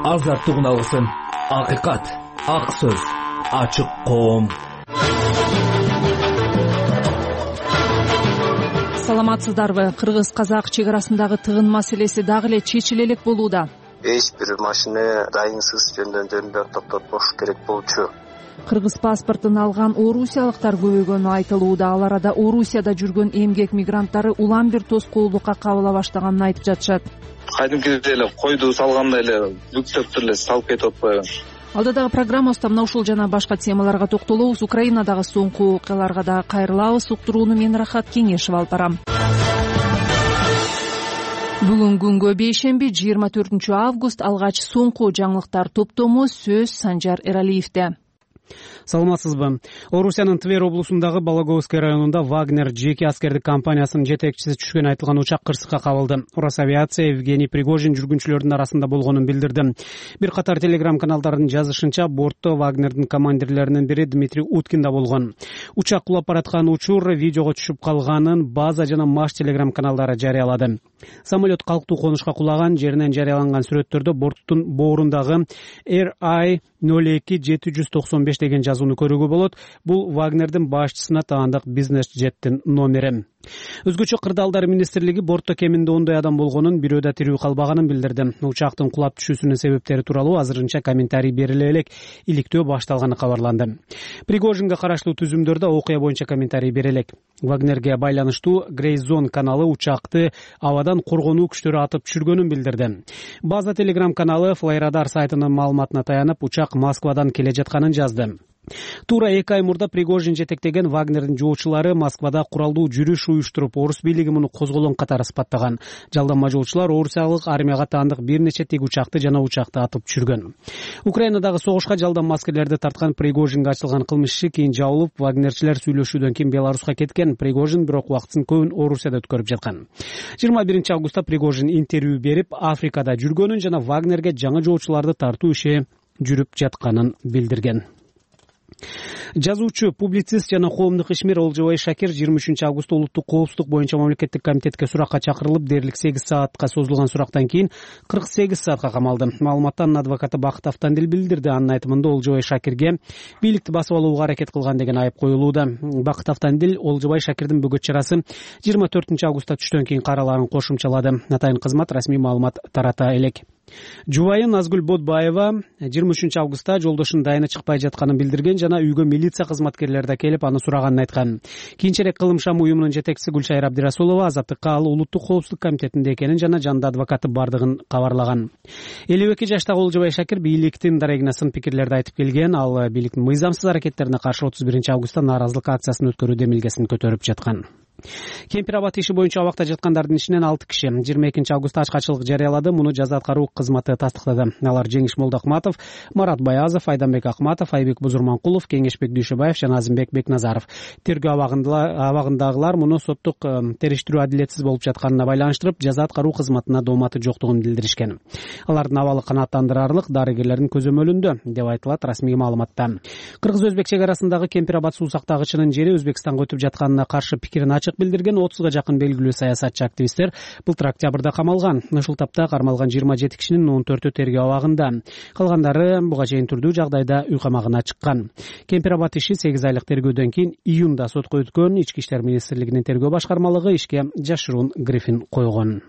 азаттыгын алсын. Акыйкат, ак сөз, ачык коом. Саламатсыздарбы? Кыргыз-казак чек арасындагы тыгын маселеси дагы эле чечиле элек болууда. Эч бир машина дайынсыз жөндөмдөрүндө токтотпош керек болчу. Кыргыз паспортун алган орусиялыктар көбөйгөнү айтылууда. Ал арада Орусияда жүргөн эмгек мигранттары улам бир тоскоолдукка кабыла баштаганын айтып жатышат. Кайдымкидей эле койду салгандай эле бүктөп эле салып кетип атпайбы? Алдыдагы программабызда мына ушул жана башка темаларга токтолобуз. Украинадагы соңку окуяларга да кайрылабыз. Уктурууну мен Рахат Кеңешева алып барам. Бүгүн күнгө бейшемби 24 август алгач соңку жаңылыктар топтому сөз Санжар Эралиевде. Саламатсызбы? Орусиянын Тver облусундагы Балаговский районунда Вагнер жеке аскердик компаниясынын жетекчиси түшкөн айтылган учак кырсыкка кабылды. Росавиация Евгений Пригожин жүргүнчүлөрдүн арасында болгонун билдирди. Бир катар телеграм каналдардын жазышынча, бортто Вагнердин командирлеринин бири Дмитрий Уткин да болгон. Учак кулап бараткан учур видеого түшүп калганын База жана Маш телеграм каналдары жарыялады. Самолет калктуу конушка кулаган, жеринен жарыяланган сүрөттөрдө борттун боорундагы RI 02795 деген жазууну көрүүгө болот. Бул Вагнердин башчысына таандык бизнес-жеттин номери. Өзгөчө кырдаалдар министрлиги бортто кеминде 10 адам болгонун, бирөө да тирүү калбаганын билдирди. Учактын кулап түшүүсүнүн себептери тууралуу азырынча комментарий бериле элек, иликтөө башталганы кабарланды. Пригожинге караштуу түзүмдөрдө окуя боюнча комментарий берелек. Вагнерге байланыштуу Грейзон каналы учакты абадан коргонуу күчтөрү атып түшүргөнүн билдирди. База телеграм каналы Флайрадар сайтынын маалыматына таянып, учак Москвадан келе жатканын жазды. Туура 2 ай мурда Пригожин жетектеген Вагнердин жоочулары Москвада куралдуу жүрүш уюштуруп, орус бийлиги муну козголоң катары сыпаттаган. Жалданма жоочулар орусиялык армияга таандык бир нече тик учакты жана учакты атып түшүргөн. Украинадагы согушка жалданма аскерлерди тарткан Пригожинге ачылган кылмыш иши кийин жабылып, вагнерчилер сүйлөшүүдөн кийин Беларуска кеткен. Пригожин бирок убактысын көбүн Орусияда өткөрүп жаткан. 21 августта Пригожин интервью берип, Африкада жүргөнүн жана Вагнерге жаңы жоочуларды тартуу иши жүрүп жатканын билдирген. Жазуучу, публицист жана коомдук ишмер Олжобай Шакир 23 августта улуттук коопсуздук боюнча мамлекеттик комитетке суракка чакырылып, дээрлик 8 саатка созулган сурактан кийин 48 саатка камалды. Маалыматты анын адвокаты Бакыт Автандил билдирди. Анын айтымында Олжобай Шакирге бийликти басып алууга аракет кылган деген айып коюлууда. Бакыт Автандил Олжобай Шакирдин бөгөт чарасы 24 августта түштөн кийин караларын кошумчалады. Атайын кызмат расмий маалымат тарата элек. Жубайы Назгүл Бодбаева 23 августта жолдошунун дайыны чыкпай жатканын билдирген жана үйгө милиция кызматкерлери да келип аны сураганын айткан. Кийинчерээк кылымшам уюмунун жетекчиси Гүлшайыр Абдирасулова Азаттыкка ал улуттук коопсуздук комитетинде экенин жана жанында адвокаты бардыгын кабарлаган. 52 жаштагы Олжобай Шакир бийликтин дарегине сын пикирлерди айтып келген. Ал бийликтин мыйзамсыз аракеттерине каршы 31 августта нааразылык акциясын өткөрүү демилгесин көтөрүп жаткан. Кемпир абад иши боюнча абакта жаткандардын ичинен 6 киши 22 августта ачкачылык жарыялады. Муну жаза аткаруу кызматы тастыктады. Алар Жеңиш Молдокматов, Марат Баязов, Айданбек Акматов, Айбек Бузурманкулов, Кеңешбек Дүйшөбаев жана Азимбек Бекназаров. Тергөө абагындагылар муну соттук териштирүү адилетсиз болуп жатканына байланыштырып, жаза аткаруу кызматына дооматы жоктугун билдиришкен. Алардын абалы канааттандырарлык, дарыгерлердин көзөмөлүндө деп айтылат расмий маалыматта. Кыргыз-өзбек чек арасындагы Кемпир абад суу сактагычынын жери Өзбекстанга өтүп жатканына каршы пикирин билдирген 30га жакын белгилүү саясатчы активисттер былтыр октябрда камалган. Ушул тапта кармалган 27 кишинин 14-ө тергөө абагында. Калгандары буга чейин түрдүү жагдайда үй камагына чыккан. Кемпир абад иши 8 айлык тергөөдөн кийин июнда сотко өткөн. Ички иштер министрлигинин тергөө башкармалыгы ишке жашыруун грифин койгон.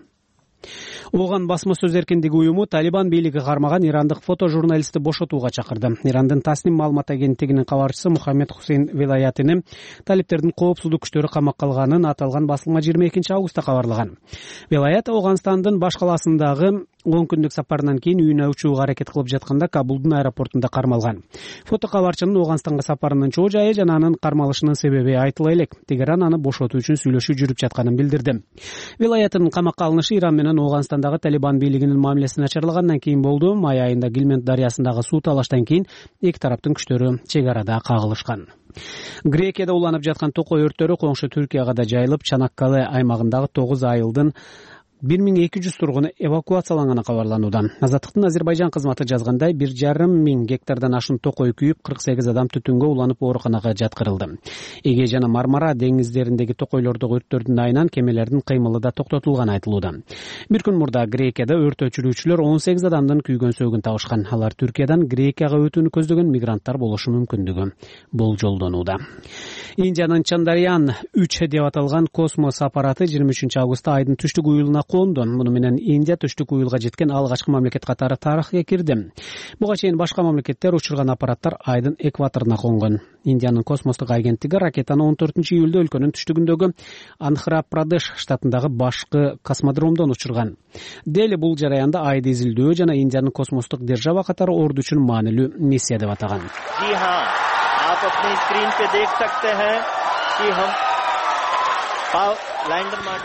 Оған басма сөз эркиндиги уюму Талибан бийлиги кармаган ирандык фотожурналистти бошотууга чакырды. Ирандын Тасним маалымат агенттигинин кабарчысы Мухаммед Хусейн Вилаятини талиптердин коопсуздук күчтөрү камакка алганын аталган басылма 22 августта кабарлаган. Вилаят Ауганстандын баш калаасындагы 10 күндүк сапарынан кийин үйүнө учууга аракет кылып жатканда Кабулдун аэропортунда кармалган. Фото кабарчынын Ауганстанга сапарынын чоо жайы жана анын кармалышынын себеби айтыла элек. Тегеран аны бошотуу үчүн сүйлөшүү жүрүп жатканын билдирди. Вилаяттын камакка алынышы Иран менен Ауганстандагы Талибан бийлигинин мамилеси начарлагандан кийин болду. Май айында Гилмент дарыясындагы суу талаштан кийин эки тараптын күчтөрү чек арада кагылышкан. Грекияда уланып жаткан токой өрттөрү коңшу Түркияга да жайылып, Чанаккале аймагындагы 9 айылдын 1200 тургуну эвакуацияланганы кабарланууда. Азаттыктын Азербайжан кызматы жазгандай 1,5 гектардан ашуун токой күйүп 48 адам түтүнгө уланып ооруканага жаткырылды. Эге жана Мармара деңиздериндеги токойлордогу өрттөрдүн айынан кемелердин кыймылы да токтотулганы айтылууда. Бир күн мурда Грекияда өрт өчүрүүчүлөр 18 адамдын күйгөн сөөгүн табышкан. Алар Түркиядан Грекияга өтүүнү көздөгөн мигранттар болушу мүмкүндүгү болжолдонууда. Индиянын Чандарян 3 деп аталган космос аппараты 23 августта айдын түштүк уюлуна конду. Муну менен Индия түштүк уюлга жеткен алгачкы мамлекет катары тарыхка кирди. Буга чейин башка мамлекеттер учурган аппараттар айдын экваторуна конгон. Индиянын космостук агенттиги ракетаны 14 июлда өлкөнүн түштүгүндөгү Андхра-Прадеш штатындагы башкы космодромдон учурган. Дели бул жараянда айды изилдөө жана Индиянын космостук держава катары орду үчүн маанилүү миссия деп атаган.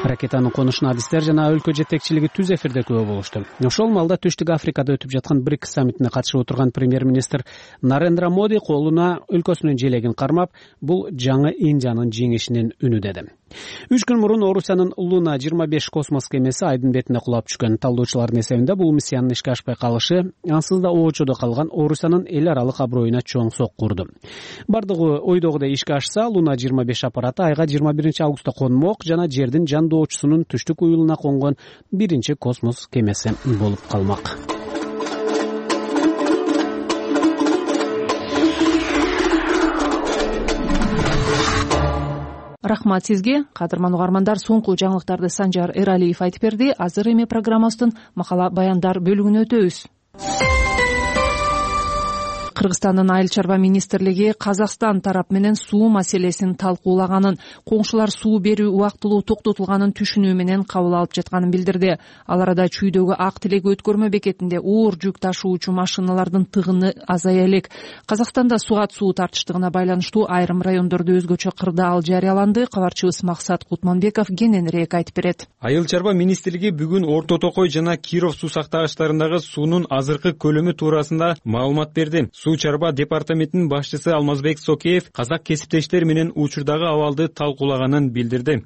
Ракетанын конушуна адистер жана өлкө жетекчилиги түз эфирде күбө болушту. Ошол маалда Түштүк Африкада өтүп жаткан БРИКС саммитине катышып отурган премьер-министр Нарендра Моди колуна өлкөсүнүн желегин кармап, бул жаңы Индиянын жеңишинин үнү деди. 3 күн мурун Орусиянын Луна 25 космос кемеси айдын бетине кулап түшкөн. Талдоочулардын эсебинде бул миссиянын ишке ашпай калышы ансыз да оочодо калган Орусиянын эл аралык аброюна чоң сокку урду. Бардыгы ойдогудай ишке ашса, Луна 25 аппараты айга 21 августта конмок жана жердин жандоочусунун түштүк уюлуна конгон биринчи космос кемеси болуп калмак. Рахмат сизге, кадырман угармандар. Соңку жаңылыктарды Санжар Эралиев айтып берди. Азыр эми программабыздын макала баяндар бөлүгүнө өтөбүз. Кыргызстандын Айыл чарба министрлиги Казакстан тарап менен суу маселесин талкуулаганын, коңшулар суу берүү убактылуу токтотулганын түшүнүү менен кабыл алып жатканын билдирди. Ал арада Чүйдөгү Ак Тилек өткөрмө бекетинде оор жүк ташуучу машиналардын тыгыны азая элек. Казакстанда сугат суу тартыштыгына байланыштуу айрым райондордо өзгөчө кырдаал жарыяланды. Кабарчыбыз Максат Кутманбеков кененирээк айтып берет. Айыл чарба министрлиги бүгүн Орто Токой жана Киров суу сактагычтарындагы суунун азыркы көлөмү туурасында маалымат берди. Суу чарба департаментинин башчысы Алмазбек Сокеев казак кесиптештер менен учурдагы абалды талкуулаганын билдирди.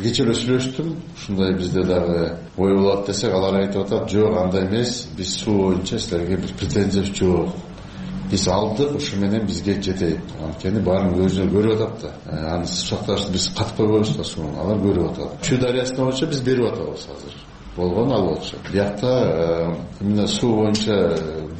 Кечээ эле сүйлөштүм. Ушундай бизде дагы ой болот десек, алар айтып атат, жок андай эмес, биз суу боюнча силерге бир претензиябыз жок. Биз алдык, ушу менен бизге жетет. Анткени баарын өзү көрүп атат да. Аны сакташты биз катып койбойбуз да сууну, алар көрүп атат. Чүй дарыясына боюнча биз берип атабыз азыр. Болгон алып атышат. Биякта именно суу боюнча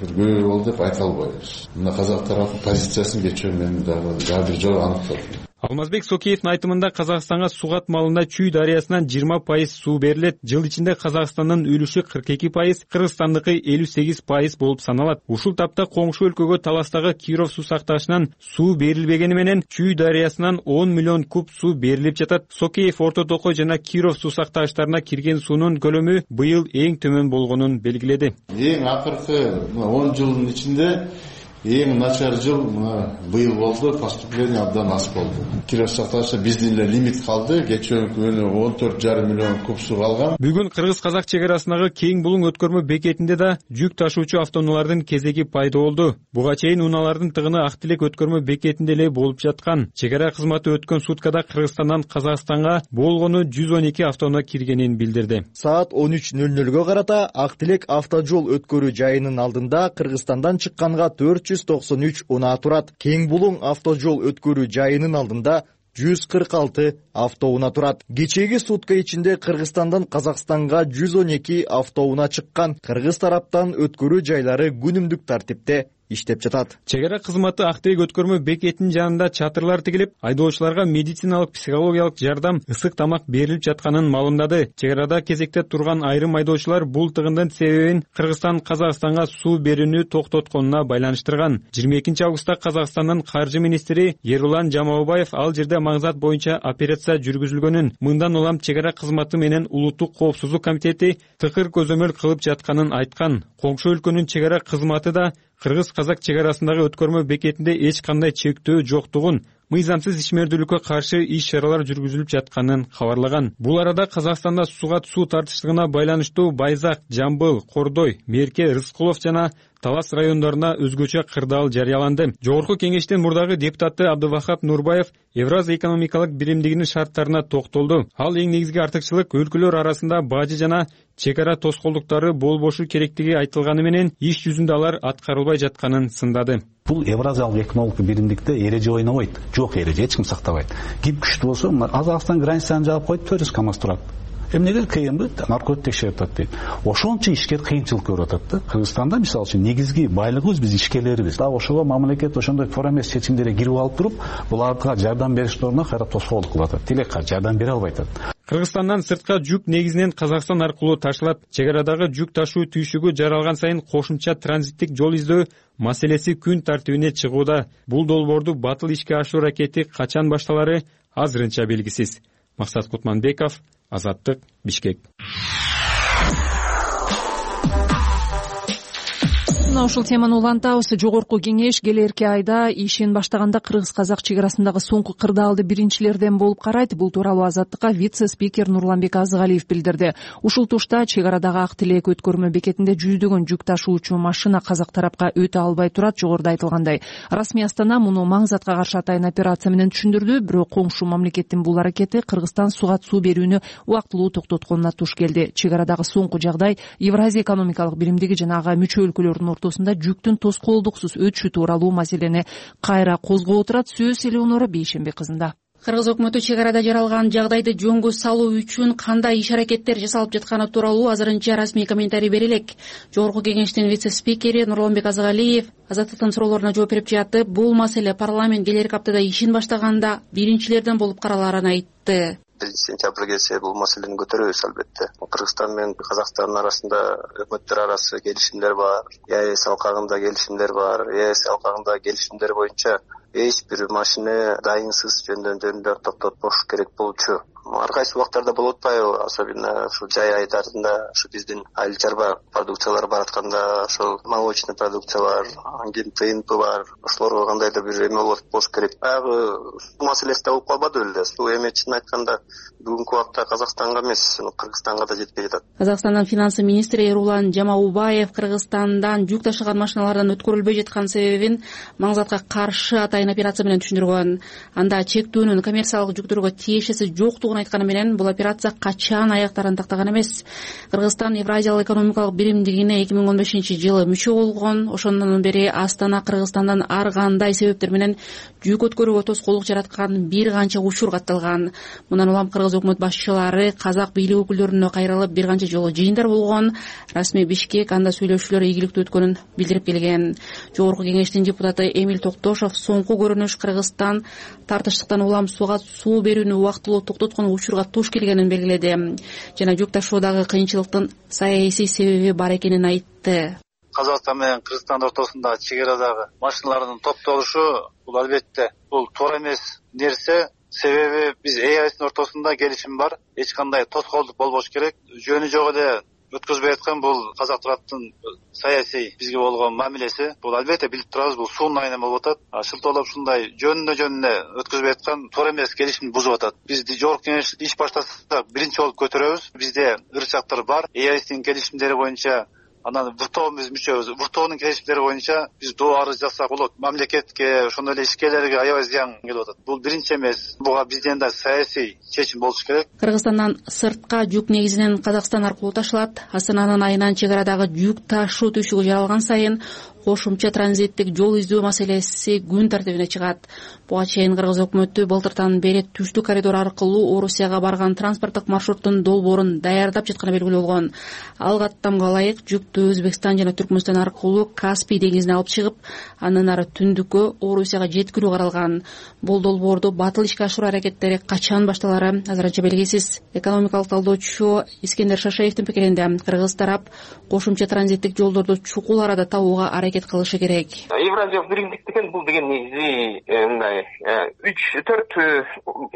бир көйгөй болду деп айта албайбыз. Мына казак тарапы позициясын кечээ мен дагы бир жолу аныктадым. Алмазбек Сокеевдин айтымында Казакстанга сугат малында Чүй дарыясынан 20% суу берилет. Жыл ичинде Казакстандын үлүшү 42%, Кыргызстандыкы 58% болуп саналат. Ушул тапта коңшу өлкөгө таластагы Киров суу сактагычынан суу берилбегени менен Чүй дарыясынан 10 миллион куб суу берилип жатат. Сокеев Орто Токой жана Киров суу сактагычтарына кирген суунун көлөмү быйыл эң төмөн болгонун белгиледи. Эң акыркы 10 жылдын ичинде эң начар жыл быйыл болду, поступление абдан аз болду. Киров сактагычта биздин эле лимит калды, кечээ күнү 14,5 миллион куб суу калган. Бүгүн Кыргыз-Казак чек арасындагы Кең Булуң өткөрмө бекетинде да жүк ташуучу автоунаалардын кезеги пайда болду. Буга чейин унаалардын тыгыны Ак Тилек өткөрмө бекетинде эле болуп жаткан. Чек ара кызматы өткөн суткада Кыргызстандан Казакстанга болгону 112 автоунаа киргенин билдирди. Саат 13:00-гө карата Ак Тилек автожол өткөрүү жайынын алдында Кыргызстандан чыкканга 493 унаа турат. Кең Булуң автожол өткөрүү жайынын алдында 146 автоунаа турат. Кечээги сутка ичинде Кыргызстандан Казакстанга 112 автоунаа чыккан. Кыргыз тараптан өткөрүү жайлары күнүмдүк тартипте иштеп жатат. Чек ара кызматы Ак Тилек өткөрмө бекетинин жанында чатырлар тигилип, айдоочуларга медициналык, психологиялык жардам, ысык тамак берилип жатканын маалымдады. Чек арада кезекте турган айрым айдоочулар бул тыгындын себебин Кыргызстан Казакстанга суу берүүнү токтотконуна байланыштырган. 22 августта Казакстандын каржы министри Ерулан Жамаубаев ал жерде маңзат боюнча операция жүргүзүлгөнүн, мындан улам чек ара кызматы менен улуттук коопсуздук комитети тыкыр көзөмөл кылып жатканын айткан. Коңшу өлкөнүн чек ара кызматы да Кыргыз-Казак чек арасындагы өткөрмө бекетинде эч кандай чектөө жоктугун, мыйзамсыз ишмердүүлүккө каршы иш чаралар жүргүзүлүп жатканын кабарлаган. Бул арада Казакстанда сугат суу тартыштыгына байланыштуу Байзак, Жамбыл, Кордой, Мерке, Рыскулов жана талас райондоруна өзгөчө кырдаал жарыяланды. Жогорку кеңештин мурдагы депутаты Абдывахап Нурбаев Евразия экономикалык биримдигинин шарттарына токтолду. Ал эң негизги артыкчылык өлкөлөр арасында бажы жана чек ара тоскоолдуктары болбошу керектиги айтылганы менен иш жүзүндө алар аткарылбай жатканын сындады. Бул Евразиялык экономикалык биримдикте эреже ойнобойт. Жок эреже эч ким сактабайт. Ким күчтүү болсо, Казакстан границаны жаап коюп, төрөс КАМАЗ турат. Эмнеге кыйынбы? Наркотик текшерип атат дейт. Ошончо ишкер кыйынчылык көрүп атат да. Кыргызстанда мисалы үчүн негизги байлыгыбыз биз ишкерлерибиз. Дагы ошого мамлекет ошондой туура эмес чечимдерге кирип алып туруп, буларга жардам бериштин ордуна кайра тоскоолдук кылып атат. Тилек жардам бере албай атат. Кыргызстандан сыртка жүк негизинен Казакстан аркылуу ташылат. Чек арадагы жүк ташуу түйшүгү жаралган сайын кошумча транзиттик жол издөө маселеси күн тартибине чыгууда. Бул долбоорду батыл ишке ашыруу аракети качан башталары азырынча белгисиз. Максат Кутманбеков, Азаттык, Бишкек. Ушул теманы улантабыз. Жогорку кеңеш келерки айда ишин баштаганда кыргыз-казак чек арасындагы соңку кырдаалды биринчилерден болуп карайт. Бул тууралуу Азаттыкка вице-спикер Нурланбек Азыгалиев билдирди. Ушул тушта чек арадагы Ак Тилек өткөрмө бекетинде жүздөгөн жүк ташуучу машина казак тарапка өтө албай турат. Жогоруда айтылгандай, расмий Астана муну маңзатка каршы атайын операция менен түшүндүрдү. Бирок коңшу мамлекеттин бул аракети Кыргызстан суга суу берүүнү убактылуу токтотконуна туш келди. Чек арадагы соңку жагдай Евразия экономикалык биримдиги жана ага мүчө өлкөлөрдүн ортосунда жүктүн тоскоолдуксуз өтүшү тууралуу маселени кайра козгоп отурат. Сөз Элеонора Бейшембек кызында. Кыргыз өкмөтү чек арада жаралган жагдайды жөнгө салуу үчүн кандай иш аракеттер жасалып жатканы тууралуу азырынча расмий комментарий бере элек. Жогорку кеңештин вице-спикери Нурланбек Азыгалиев Азаттыктын суроолоруна жооп берип жатып, бул маселе парламент келерки аптада ишин баштаганда биринчилерден болуп каралаарын айтты. 1 сентябрь келсе бул маселени көтөрөбүз албетте. Кыргызстан менен Казакстандын арасында өкмөттөр арасы келишимдер бар, ЕАЭС алкагында келишимдер бар. ЕАЭС алкагында келишимдер боюнча эч бир машина дайынсыз жөндөн токтотпош керек болчу. Ар кайсы убактарда болуп атпайбы, особенно ушу жай айдарында ушу биздин айыл чарба продукциялар баратканда, ошол молочный продукциялар, ангин ТНП бар, ошолорго кандайдыр бир эме болуш керек. Баягы суу маселеси да болуп калбады беле. Суу эми чын айтканда бүгүнкү убакта Казакстанга эмес, Кыргызстанга да жетпей жатат. Казакстандын финансы министри Эрулан Жамаубаев Кыргызстандан жүк ташыган машиналардан өткөрүлбөй жаткан себебин маңзатка каршы атайын операция менен түшүндүргөн. Анда чектөөнүн коммерциялык жүктөргө тиешеси жоктугун айтканы менен бул операция качан аяктарын тактаган эмес. Кыргызстан Евразиялык экономикалык биримдигине 2015-жылы мүчө болгон. Ошондон бери Астана Кыргызстандан ар кандай себептер менен жүк өткөрүүгө тоскоолдук жараткан бир канча учур катталган. Мындан улам кыргыз өкмөт башчылары казак бийлик өкүлдөрүнө кайрылып бир канча жолу жыйындар болгон. Расмий Бишкек анда сүйлөшүүлөр ийгиликтүү өткөнүн билдирип келген. Жогорку кеңештин депутаты Эмиль Токтошов соңку көрүнүш Кыргызстан тартыштыктан улам сууга суу берүүнү убактылуу токтоткон учурга туш келгенин белгиледи жана жүк ташуудагы кыйынчылыктын саясий себеби бар экенин айтты. Казакстан менен Кыргызстандын ортосунда чек арадагы машиналардын топтолушу бул албетте бул туура эмес нерсе. Себеби биз ЕАЭСтин ортосунда келишим бар. Эч кандай тоскоолдук болбош керек. Жөнү жок эле өткөзбөй аткан бул казак тараптын саясий бизге болгон мамилеси. Бул албетте билип турабыз, бул суунун айынан болуп атат. Шылтоолоп ушундай жөнүнө өткөзбөй аткан туура эмес келишимди бузуп атат. Биз жогорку кеңеш иш баштасак биринчи болуп көтөрөбүз. Бизде ырчактар бар. ЕАЭСтин келишимдери боюнча анан ВТО-биз мүчөбүз. ВТО-нун келишимдери боюнча биз доо арыз жазсак болот. Мамлекетке, ошондой эле ишкерлерге аябай зыян келип атат. Бул биринчи эмес. Буга бизден да саясий чечим болуш керек. Кыргызстандан сыртка жүк негизинен Казакстан аркылуу ташылат. Астананын айынан чек арадагы жүк ташуу түйшүгү жаралган сайын кошумча транзиттик жол издөө маселеси күн тартибине чыгат. Буга чейин кыргыз өкмөтү былтыртан бери түштүк коридор аркылуу Орусияга барган транспорттук маршруттун долбоорун даярдап жатканы белгилүү болгон. Ал каттамга ылайык жүктү Өзбекстан жана Түркмөнстан аркылуу Каспий деңизине алып чыгып, андан ары түндүккө Орусияга жеткирүү каралган. Бул долбоорду батыл ишке ашыруу аракеттери качан башталары азырынча белгисиз. Экономикалык талдоочу Искендер Шашаевдин пикиринде кыргыз тарап кошумча транзиттик жолдорду чукул арада табууга аракет кылышы керек. Евразиялык биримдик деген бул деген негизи мындай 3-4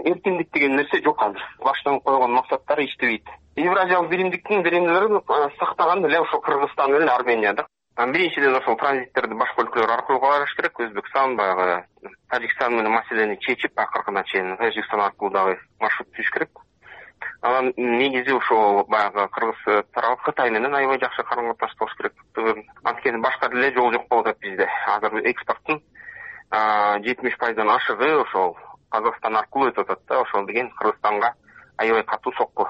эркиндик деген нерсе жок азыр. Баштан койгон максаттары иштебейт. Евразиялык биримдиктин беренелерин сактаган эле ошо Кыргызстан менен Арменияда. Биринчиден ошол транзиттерди башка өлкөлөр аркылуу барыш керек. Өзбекстан баягы Тажикстан менен маселени чечип акыркына чейин Тажикстан аркылуу дагы маршрут түзүш керек. Анан негизи ошо баягы кыргыз тарабы Кытай менен аябай жакшы карым-катнаш болуш керек. Анткени башка деле жол жок болуп атат бизде. Азыр экспорттун 70% ашыгы ошол Казакстан аркылуу өтүп атат да. Ошол деген Кыргызстанга аябай катуу сокку.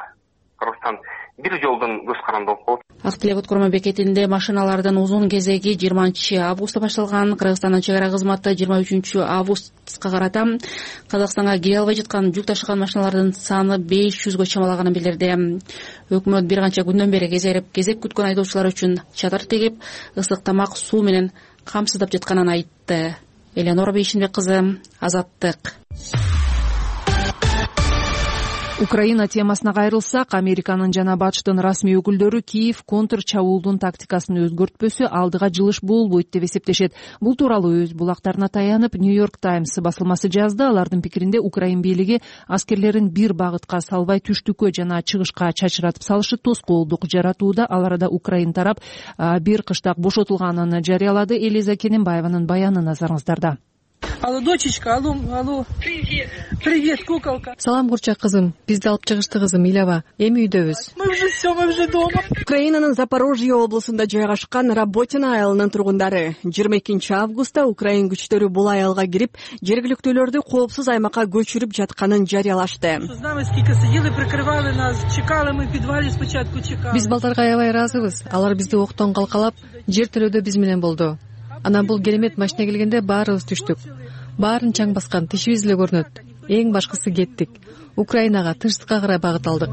Кыргызстан бир жолдон көз каранды болуп калат. Ак Тилек өткөрмө бекетинде машиналардын узун кезеги 20-августта башталган. Кыргызстандын чек ара кызматы 23-августка карата Казакстанга кире албай жаткан жүк ташыган машиналардын саны 500гө чамалаганын билдирди. Өкмөт бир канча күндөн бери кезек күткөн айдоочулар үчүн чатыр тегип, ысык тамак, суу менен камсыздап жатканын айтты. Элеонора Бейшинбек кызы, Азаттык. Украина темасына кайрылсак, Американын жана БАЧтын расмий өкүлдөрү Киев контр чабуулдун тактикасын өзгөртпөсө алдыга жылыш болбойт деп эсептешет. Бул тууралуу өз булактарына таянып Нью-Йорк Таймс басылмасы жазды. Алардын пикиринде Украин бийлиги аскерлерин бир багытка салбай түштүккө жана чыгышка чачыратып салышы тоскоолдук жаратууда. Ал арада Украин тарап бир кыштак бошотулганын жарыялады. Элиза Кененбаеванын баяны назарыңыздарда. Алло, дочечка, алло. Привет, куколка. Салам, курчак кызым. Бизди алып чыгышты кызым, Илева. Эми үйдөбүз. Мы уже дома. Украинанын Запорожье облусунда жайгашкан Работино айылынын тургундары 22-августта Украин күчтөрү бул айылга кирип, жергиликтүүлөрдү коопсуз аймакка көчүрүп жатканын жарыялашты. Биз балдарга аябай ыраазыбыз. Алар бизди октон калкалап, жер төлөдө биз менен болду. Анан бул керемет машина келгенде баарыбыз түштүк. Баарын чаң баскан, тишибиз эле көрүнөт. Эң башкысы кеттик. Украинага, тынчтыкка карай багыт алдык.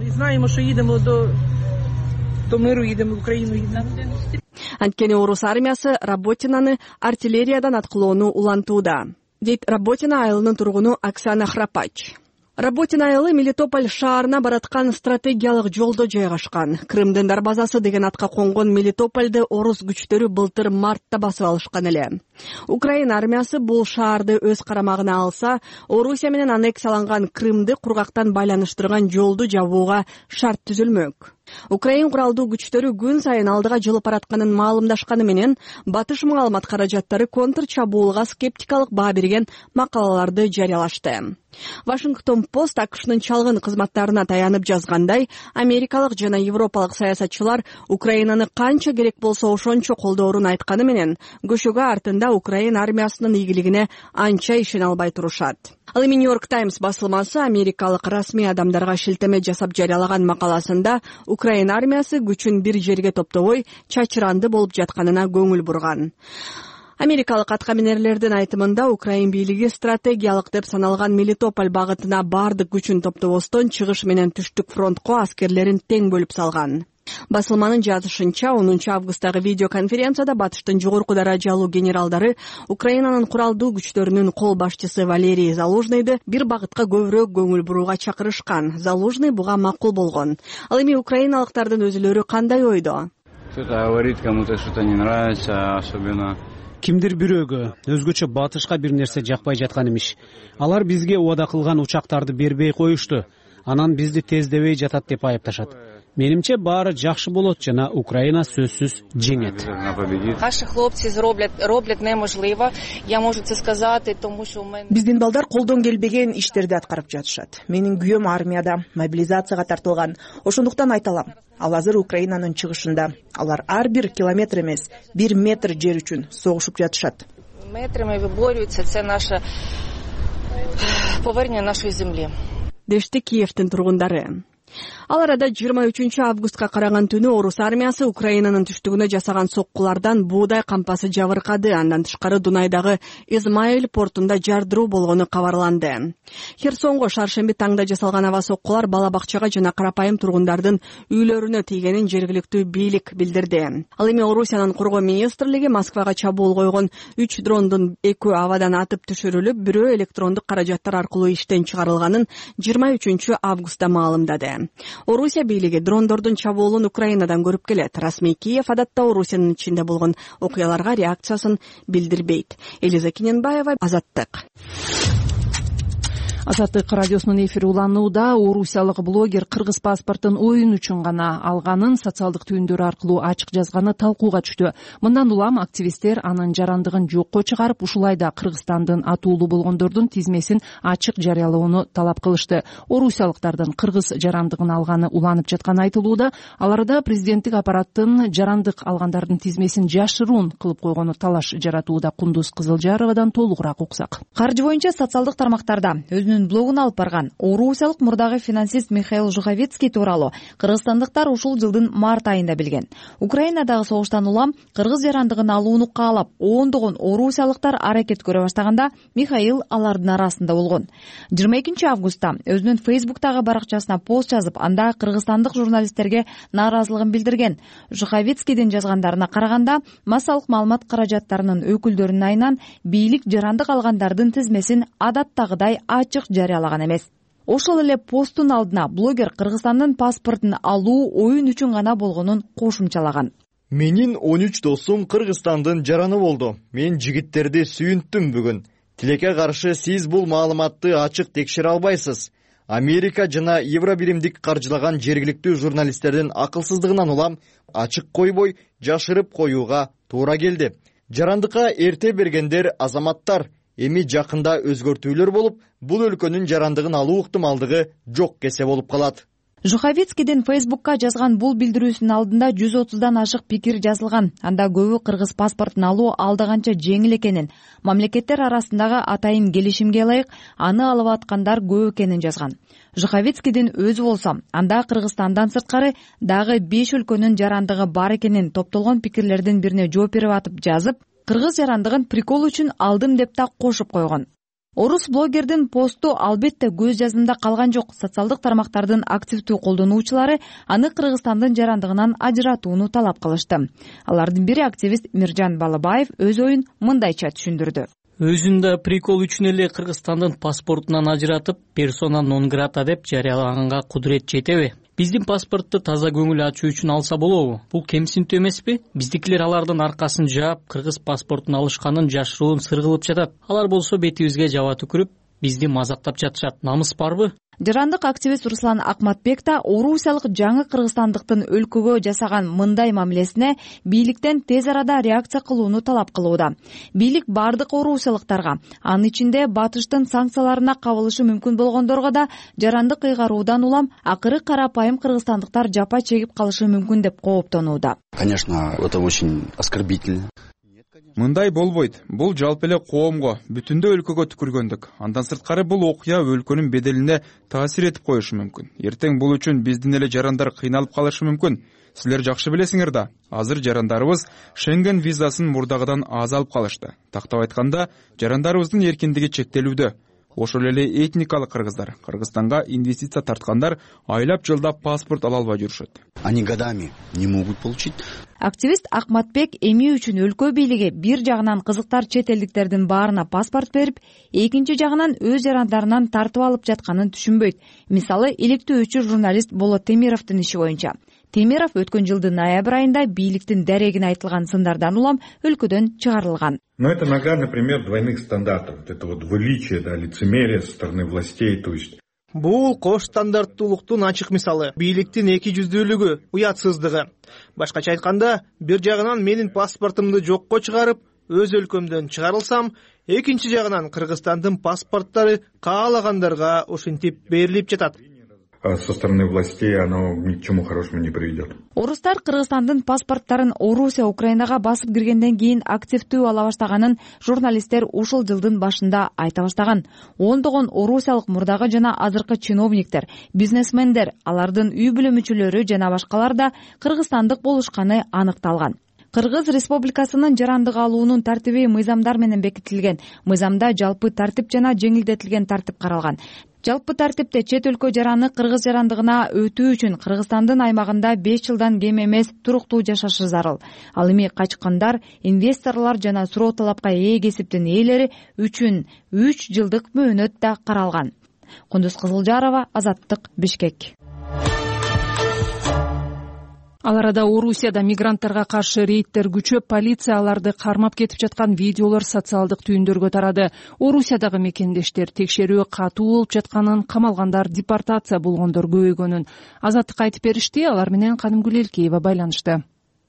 Анткени орус армиясы Работинаны артиллериядан аткылоону улантууда, дейт Работино айылынын тургуну Оксана Храпач. Работино айылы Мелитополь шаарына бараткан стратегиялык жолдо жайгашкан. Крымдын дарбазасы деген атка конгон Мелитопольду орус күчтөрү былтыр мартта басып алышкан эле. Украин армиясы бул шаарды өз карамагына алса, Орусия менен аннексияланган Крымды кургактан байланыштырган жолду жабууга шарт түзүлмөк. Украин куралдуу күчтөрү күн сайын алдыга жылып баратканын маалымдашканы менен батыш маалымат каражаттары контр чабуулга скептикалык баа берген макалаларды жарыялашты. Вашингтон Пост АКШнын чалгын кызматтарына таянып жазгандай, америкалык жана европалык саясатчылар Украинаны канча керек болсо ошончо колдоорун айтканы менен, көшөгө артында Украин армиясынын ийгилигине анча ишене албай турушат. Ал эми Нью-Йорк Таймс басылмасы америкалык расмий адамдарга шилтеме жасап жарыялаган макаласында Украин армиясы күчүн бир жерге топтобой чачыранды болуп жатканына көңүл бурган. Америкалык аткаминерлердин айтымында Украин бийлиги стратегиялык деп саналган Мелитополь багытына бардык күчүн топтобостон чыгыш менен түштүк фронтко аскерлерин тең бөлүп салган. Басылманын жазышынча 10-августтагы видеоконференцияда батыштын жогорку даражалуу генералдары Украинанын куралдуу күчтөрүнүн кол башчысы Валерий Залужныйды бир багытка көбүрөөк көңүл буруга чакырышкан. Залужный буга макул болгон. Ал эми украиналыктардын өзүлөрү кандай ойдо? Кимдир бирөөгө, өзгөчө батышка бир нерсе жакпай жаткан имиш. Алар бизге убада кылган учактарды бербей коюшту. Анан бизди тездебей жатат деп айыпташат. Менимче баары жакшы болот жана Украина сөзсүз жеңет. Наши хлопцы роблят неможливо. Я можу це сказати, тому що у мене биздин балдар колдон келбеген иштерди аткарып жатышат. Менин күйөөм армияда мобилизацияга тартылган. Ошондуктан айта алам. Ал азыр Украинанын чыгышында. Алар ар бир километр эмес, 1 метр жер үчүн согушуп жатышат. Метрами виборюються, це наше повернення нашої землі. Дешти Киевдин тургундары. Ал арада 23-августка караган түнү орус армиясы Украинанын түштүгүнө жасаган соккулардан буудай кампасы жабыркады. Андан тышкары Дунайдагы Измаил портунда жардыруу болгону кабарланды. Херсонго шаршемби таңда жасалган аба соккулар бала бакчага жана карапайым тургундардын үйлөрүнө тийгенин жергиликтүү бийлик билдирди. Ал эми Орусиянын коргоо министрлиги Москвага чабуул койгон 3 дрондун 2 абадан атып түшүрүлүп, бирөө электрондук каражаттар аркылуу иштен чыгарылганын 23-августта маалымдады. Орусия бийлиги дрондордун чабуулун Украинадан көрүп келет. Расмий Киев адатта Орусиянын ичинде болгон окуяларга реакциясын билдирбейт. Элиза Кененбаева, Азаттык. Азаттык радиосунун эфири уланууда. Орусиялык блогер кыргыз паспортун оюн үчүн гана алганын социалдык түйүндөрү аркылуу ачык жазганы талкууга түштү. Мындан улам активисттер анын жарандыгын жокко чыгарып, ушулай да Кыргызстандын атуулуу болгондордун тизмесин ачык жарыялоону талап кылышты. Орусиялыктардын кыргыз жарандыгын алганы уланып жатканы айтылууда. Аларда президенттик аппараттын жарандык алгандардын тизмесин жашыруун кылып койгону талаш жаратууда. Кундуз Кызылжаровадан толугураак уксак. Каржы боюнча социалдык тармактарда өзүнүн блогун алып барган орусиялык мурдагы финансист Михаил Жуховецкий тууралуу кыргызстандыктар ушул жылдын март айында билген. Украинадагы согуштан улам кыргыз жарандыгын алууну каалап, ондогон орусиялыктар аракет көрө баштаганда Михаил алардын арасында болгон. 22 августта өзүнүн Фейсбуктагы баракчасына пост жазып, анда кыргызстандык журналисттерге нааразылыгын билдирген. Жуховецкийдин жазгандарына караганда, массалык маалымат каражаттарынын өкүлдөрүнүн айынан бийлик жарандык алгандардын тизмесин адаттагыдай ачык жарыялаган эмес. Ошол эле посттун алдына блогер Кыргызстандын паспортун алуу оюн үчүн гана болгонун кошумчалаган. Менин 13 досум Кыргызстандын жараны болду. Мен жигиттерди сүйүнттүм бүгүн. Тилекке каршы сиз бул маалыматты ачык текшере албайсыз. Америка жана Евробиримдик каржылаган жергиликтүү журналисттердин акылсыздыгынан улам ачык койбой жашырып коюуга туура келди. Жарандыкка эрте бергендер азаматтар. Эми жакында өзгөртүүлөр болуп, бул өлкөнүн жарандыгын алуу ыктымалдыгы жок кесе болуп калат. Жуховецкийдин Фейсбукка жазган бул билдирүүсүнүн алдында 130дан ашык пикир жазылган. Анда көбү кыргыз паспортун алуу алда канча жеңил экенин, мамлекеттер арасындагы атайын келишимге ылайык аны алып аткандар көп экенин жазган. Жуховецкийдин өзү болсо, анда Кыргызстандан сырткары дагы 5 өлкөнүн жарандыгы бар экенин топтолгон пикирлердин бирине жооп берип атып жазып, кыргыз жарандыгын прикол үчүн алдым деп да кошуп койгон. Орус блогердин посту албетте көз жазымда калган жок. Социалдык тармактардын активдүү колдонуучулары аны Кыргызстандын жарандыгынан ажыратууну талап кылышты. Алардын бири активист Миржан Балыбаев өз оюн мындайча түшүндүрдү. Өзүн да прикол үчүн эле Кыргызстандын паспортунан ажыратып, персона нон грата деп жарыялаганга кудурет жетеби? Биздин паспортду таза көңүл ачуу үчүн алса болобу? Бул кемсинтүү эмеспи? Биздикилер алардын аркасын жаап, кыргыз паспортун алышканын жашыруун сыр кылып жатат. Алар болсо бетибизге жаба түкүрүп, бизди мазактап жатышат. Намыс барбы? Жарандык активист Руслан Акматбек да орусиялык жаңы кыргызстандыктын өлкөгө жасаган мындай мамилесине бийликтен тез арада реакция кылууну талап кылууда. Бийлик бардык орусиялыктарга, анын ичинде батыштын санкцияларына кабылышы мүмкүн болгондорго да жарандык ыйгаруудан улам акыры карапайым кыргызстандыктар жапа чегип калышы мүмкүн деп кооптонууда. Конечно, это очень оскорбительно. Мындай болбойт. Бул жалпы эле коомго, бүтүндө өлкөгө түкүргөндүк. Андан сырткары бул окуя өлкөнүн беделине таасир этип коюшу мүмкүн. Эртең бул үчүн биздин эле жарандар кыйналып калышы мүмкүн. Силер жакшы билесиңер да, азыр жарандарыбыз Шенген визасын мурдагыдан аз алып калышты. Тактап айтканда, жарандарыбыздын эркиндиги чектелүүдө. Ошол эле этникалык кыргыздар, Кыргызстанга инвестиция тарткандар айлап жылдап паспорт ала албай жүрүшөт. Они годами не могут получить. Активист Акматбек эми үчүн өлкө бийлиги бир жагынан кызыктар чет элдиктердин баарына паспорт берип, экинчи жагынан өз жарандарынан тартып алып жатканын түшүнбөйт. Мисалы, иликтөөчү журналист Болот Темировдун иши боюнча. Темиров өткөн жылдын ноябрь айында бийликтин дарегине айтылган сындардан улам өлкөдөн чыгарылган. Но это наглядный пример двойных стандартов. Это вот двуличие, лицемерие со стороны властей, то есть. Бул кош стандарттуулуктун ачык мисалы. Бийликтин эки жүздүүлүгү, уятсыздыгы. Башкача айтканда, бир жагынан менин паспортумду жокко чыгарып, өз өлкөмдөн чыгарылсам, экинчи жагынан Кыргызстандын паспорттары каалагандарга ушинтип берилип жатат. Со стороны властей оно ни к чему хорошему не приведет. Орустар Кыргызстандын паспорттарын Орусия Украинага басып киргенден кийин активдүү ала баштаганын журналисттер ушул жылдын башында айта баштаган. Ондогон орусиялык мурдагы жана азыркы чиновниктер, бизнесмендер, алардын үй бүлө мүчөлөрү жана башкалар да кыргызстандык болушканы аныкталган. Кыргыз Республикасынын жарандык алуунун тартиби мыйзамдар менен бекитилген. Мыйзамда жалпы тартип жана жеңилдетилген тартип каралган. Жалпы тартипте чет өлкө жараны кыргыз жарандыгына өтүү үчүн Кыргызстандын аймагында 5 жылдан кем эмес туруктуу жашашы зарыл. Ал эми качкандар, инвесторлор жана суроо талапка ээ кесиптин ээлери үчүн 3 жылдык мөөнөт да каралган. Кундуз Кызылжарова, Азаттык, Бишкек. Ал арада Орусияда мигранттарга каршы рейдтер күчөп, полиция аларды кармап кетип жаткан видеолор социалдык түйүндөргө тарады. Орусиядагы мекендештер текшерүү катуу болуп жатканын, камалгандар, депортация болгондор көбөйгөнүн Азаттыкка айтып беришти. Алар менен Кадымгүл Элкеева байланышты.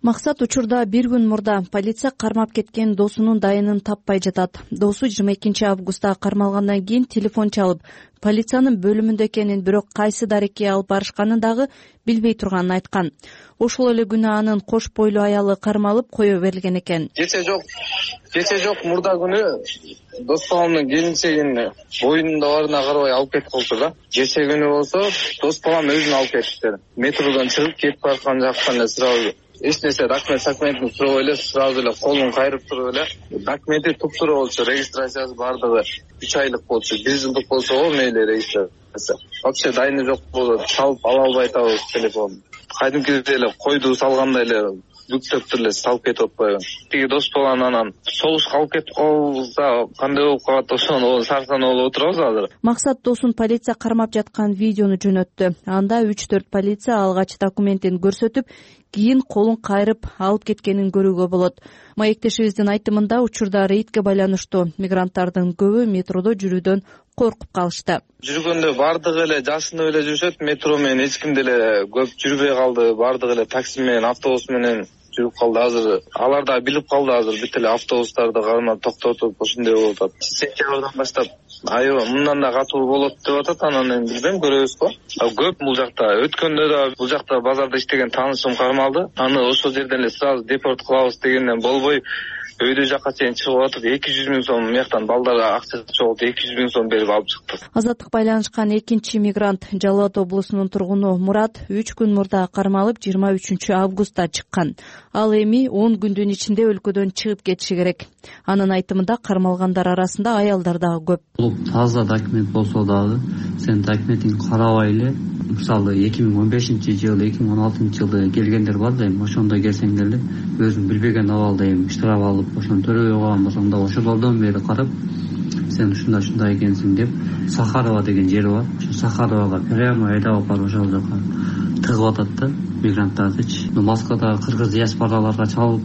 Максат учурда бир күн мурда полиция кармап кеткен досунун дайынын таппай жатат. Досу 22 августта кармалгандан кийин телефон чалып, полициянын бөлүмүндө экенин, бирок кайсы дарекке алып барышканын дагы билбей турганын айткан. Ошол эле күнү анын кош бойлуу аялы кармалып кое берилген экен. Кече жок мурда күнү дос баламдын келинчегин боюнунда барына карабай алып кетип калды да. Кече күнү болсо дос балам өзүн алып кетиптир. Метродон чыгып кетип бараткан жактан эле сразу эч нерсе документин сурабай эле сразу эле колун кайрып туруп эле документи туптуура болчу, регистрациясы бардыгы 3 айлык болчу, 1 жылдык болсо мейли регистрация. Вообще дайыны жок болду, салып ала албай атабыз телефонду. Кайдымкидей эле койду салгандай эле бүктөп эле салып кетип атпайбы. Тиги дос баланы анан согушка алып кетип калса кандай болуп калат, ошону сарсанып болуп отурабыз азыр. Максат досун полиция кармап жаткан видеону жөнөттү. Анда 3-4 полиция алгач документин көрсөтүп, кийин колун кайрып алып кеткенин көрүүгө болот. Маектешибиздин айтымында учурда рейдке байланыштуу мигранттардын көбү метродо жүрүүдөн коркуп калышты. Жүргөндө бардыгы эле жашынып эле жүрүшөт, метро менен эч ким деле көп жүрбөй калды, бардыгы эле такси менен, автобус менен жүрүп калды. Азыр алар да билип калды, азыр бүт эле автобустарды кармап токтотуп ошондой болуп атат. Сентябрдан баштап аябай мындан да катуу болот деп атат, анан эми билбейм, көрөбүз го. Көп бул жакта. Өткөндө да бул жакта базарда иштеген таанышым кармалды. Аны ошол жерден эле сразу депорт кылабыз дегенден болбой өйдө жакка чейин чыгып атып 200 000 сом мыяктан балдарга акча чогултуп 200 000 сом берип алып чыкты. Азаттык байланышкан экинчи мигрант Жалал Абад облусунун тургуну Мурат 3 күн мурда кармалып 23 августта чыккан. Ал эми 10 күндүн ичинде өлкөдөн чыгып кетиши керек. Анын айтымында кармалгандар арасында аялдар дагы көп. Бул таза документ болсо дагы сен документиңди карабай эле, мисалы 2015-жылы, 2016-жылы келгендер бар да, эми ошондо келсең эле өзүң билбеген абалда эми штраф алып ошону төрөбөй калган болсоң да ошолордон бери карап сен ушундай экенсиң деп Сахарова деген жер бар. Ошо Сахаровага прямо айдап барып ошол жака тыгып атат да мигранттардычы. Москвадагы кыргыз диаспораларга чалып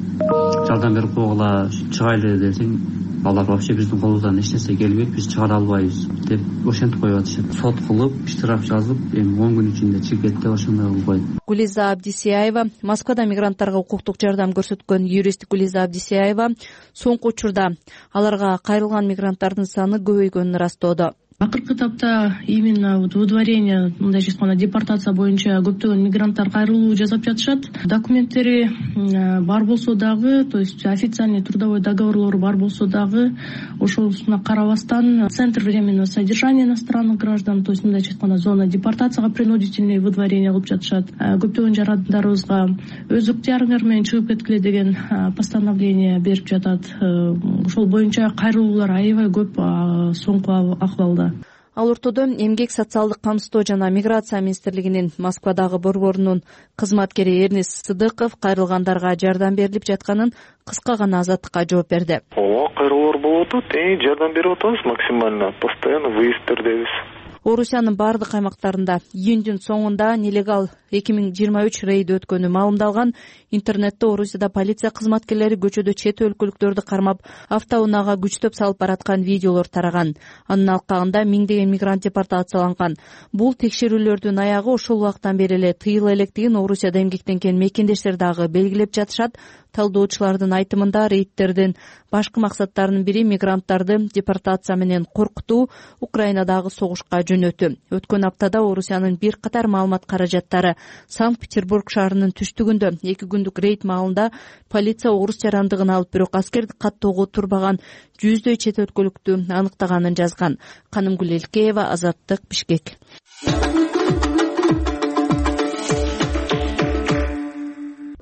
жардам берип койгула, чыгайлы десең, алар вообще биздин колубуздан эч нерсе келбейт, биз чыгара албайбыз деп ошентип коюп атышат. Сот кылып, штраф жазып, эми 10 күн ичинде чыгып кет деп ошондой кылбайт. Гулиза Абдисияева, Москвада мигранттарга укуктук жардам көрсөткөн юрист Гулиза Абдисияева соңку учурда аларга кайрылган мигранттардын саны көбөйгөнүн ырастоодо. Акыркы этапта именно выдворение, мындай айтканда депортация боюнча көптөгөн мигранттар кайрылуу жасап жатышат. Документтери бар болсо дагы, то есть официальный трудовой договорлору бар болсо дагы, ошосуна карабастан центр временного содержания иностранных граждан, то есть мындай айтканда зона депортацияга принудительный выдворение кылып жатышат. Көптөгөн жарандарыбызга өз ыктыярыңар менен чыгып кеткиле деген постановление берип жатат. Ошол боюнча кайрылуулар аябай көп соңку акыбалда. Ал ортодо Эмгек социалдык камсыздоо жана миграция министрлигинин Москвадагы борборунун кызматкери Эрнис Сыдыков кайрылгандарга жардам берилип жатканын кыска гана Азаттыкка жооп берди. Кайрылуулар болуп атат, жардам берип атабыз максимально, постоянно выезддердебиз. Орусиянын бардык аймактарында июндүн соңунда нелегал 2023 рейд өткөнү маалымдалган. Интернетте Орусияда полиция кызматкерлери көчөдө чет өлкөлүктөрдү кармап, автоунаага күчтөп салып бараткан видеолор тараган. Анын алкагында миңдеген мигрант депортацияланган. Бул текшерүүлөрдүн аягы ошол убактан бери эле тыйыла электигин Орусияда эмгектенген мекендештер дагы белгилеп жатышат. Талдоочулардын айтымында рейдтердин башкы максаттарынын бири мигранттарды депортация менен коркутуу, Украинадагы согушка жөнөтүү. Өткөн аптада Орусиянын бир катар маалымат каражаттары Санкт-Петербург шаарынын түштүгүндө 2 күндүк рейд маалында полиция орус жарандыгын алып, бирок аскердик каттоого турбаган 100дөй чет өлкөлүктү аныктаганын жазган. Кадымгүл Элкеева, Азаттык, Бишкек.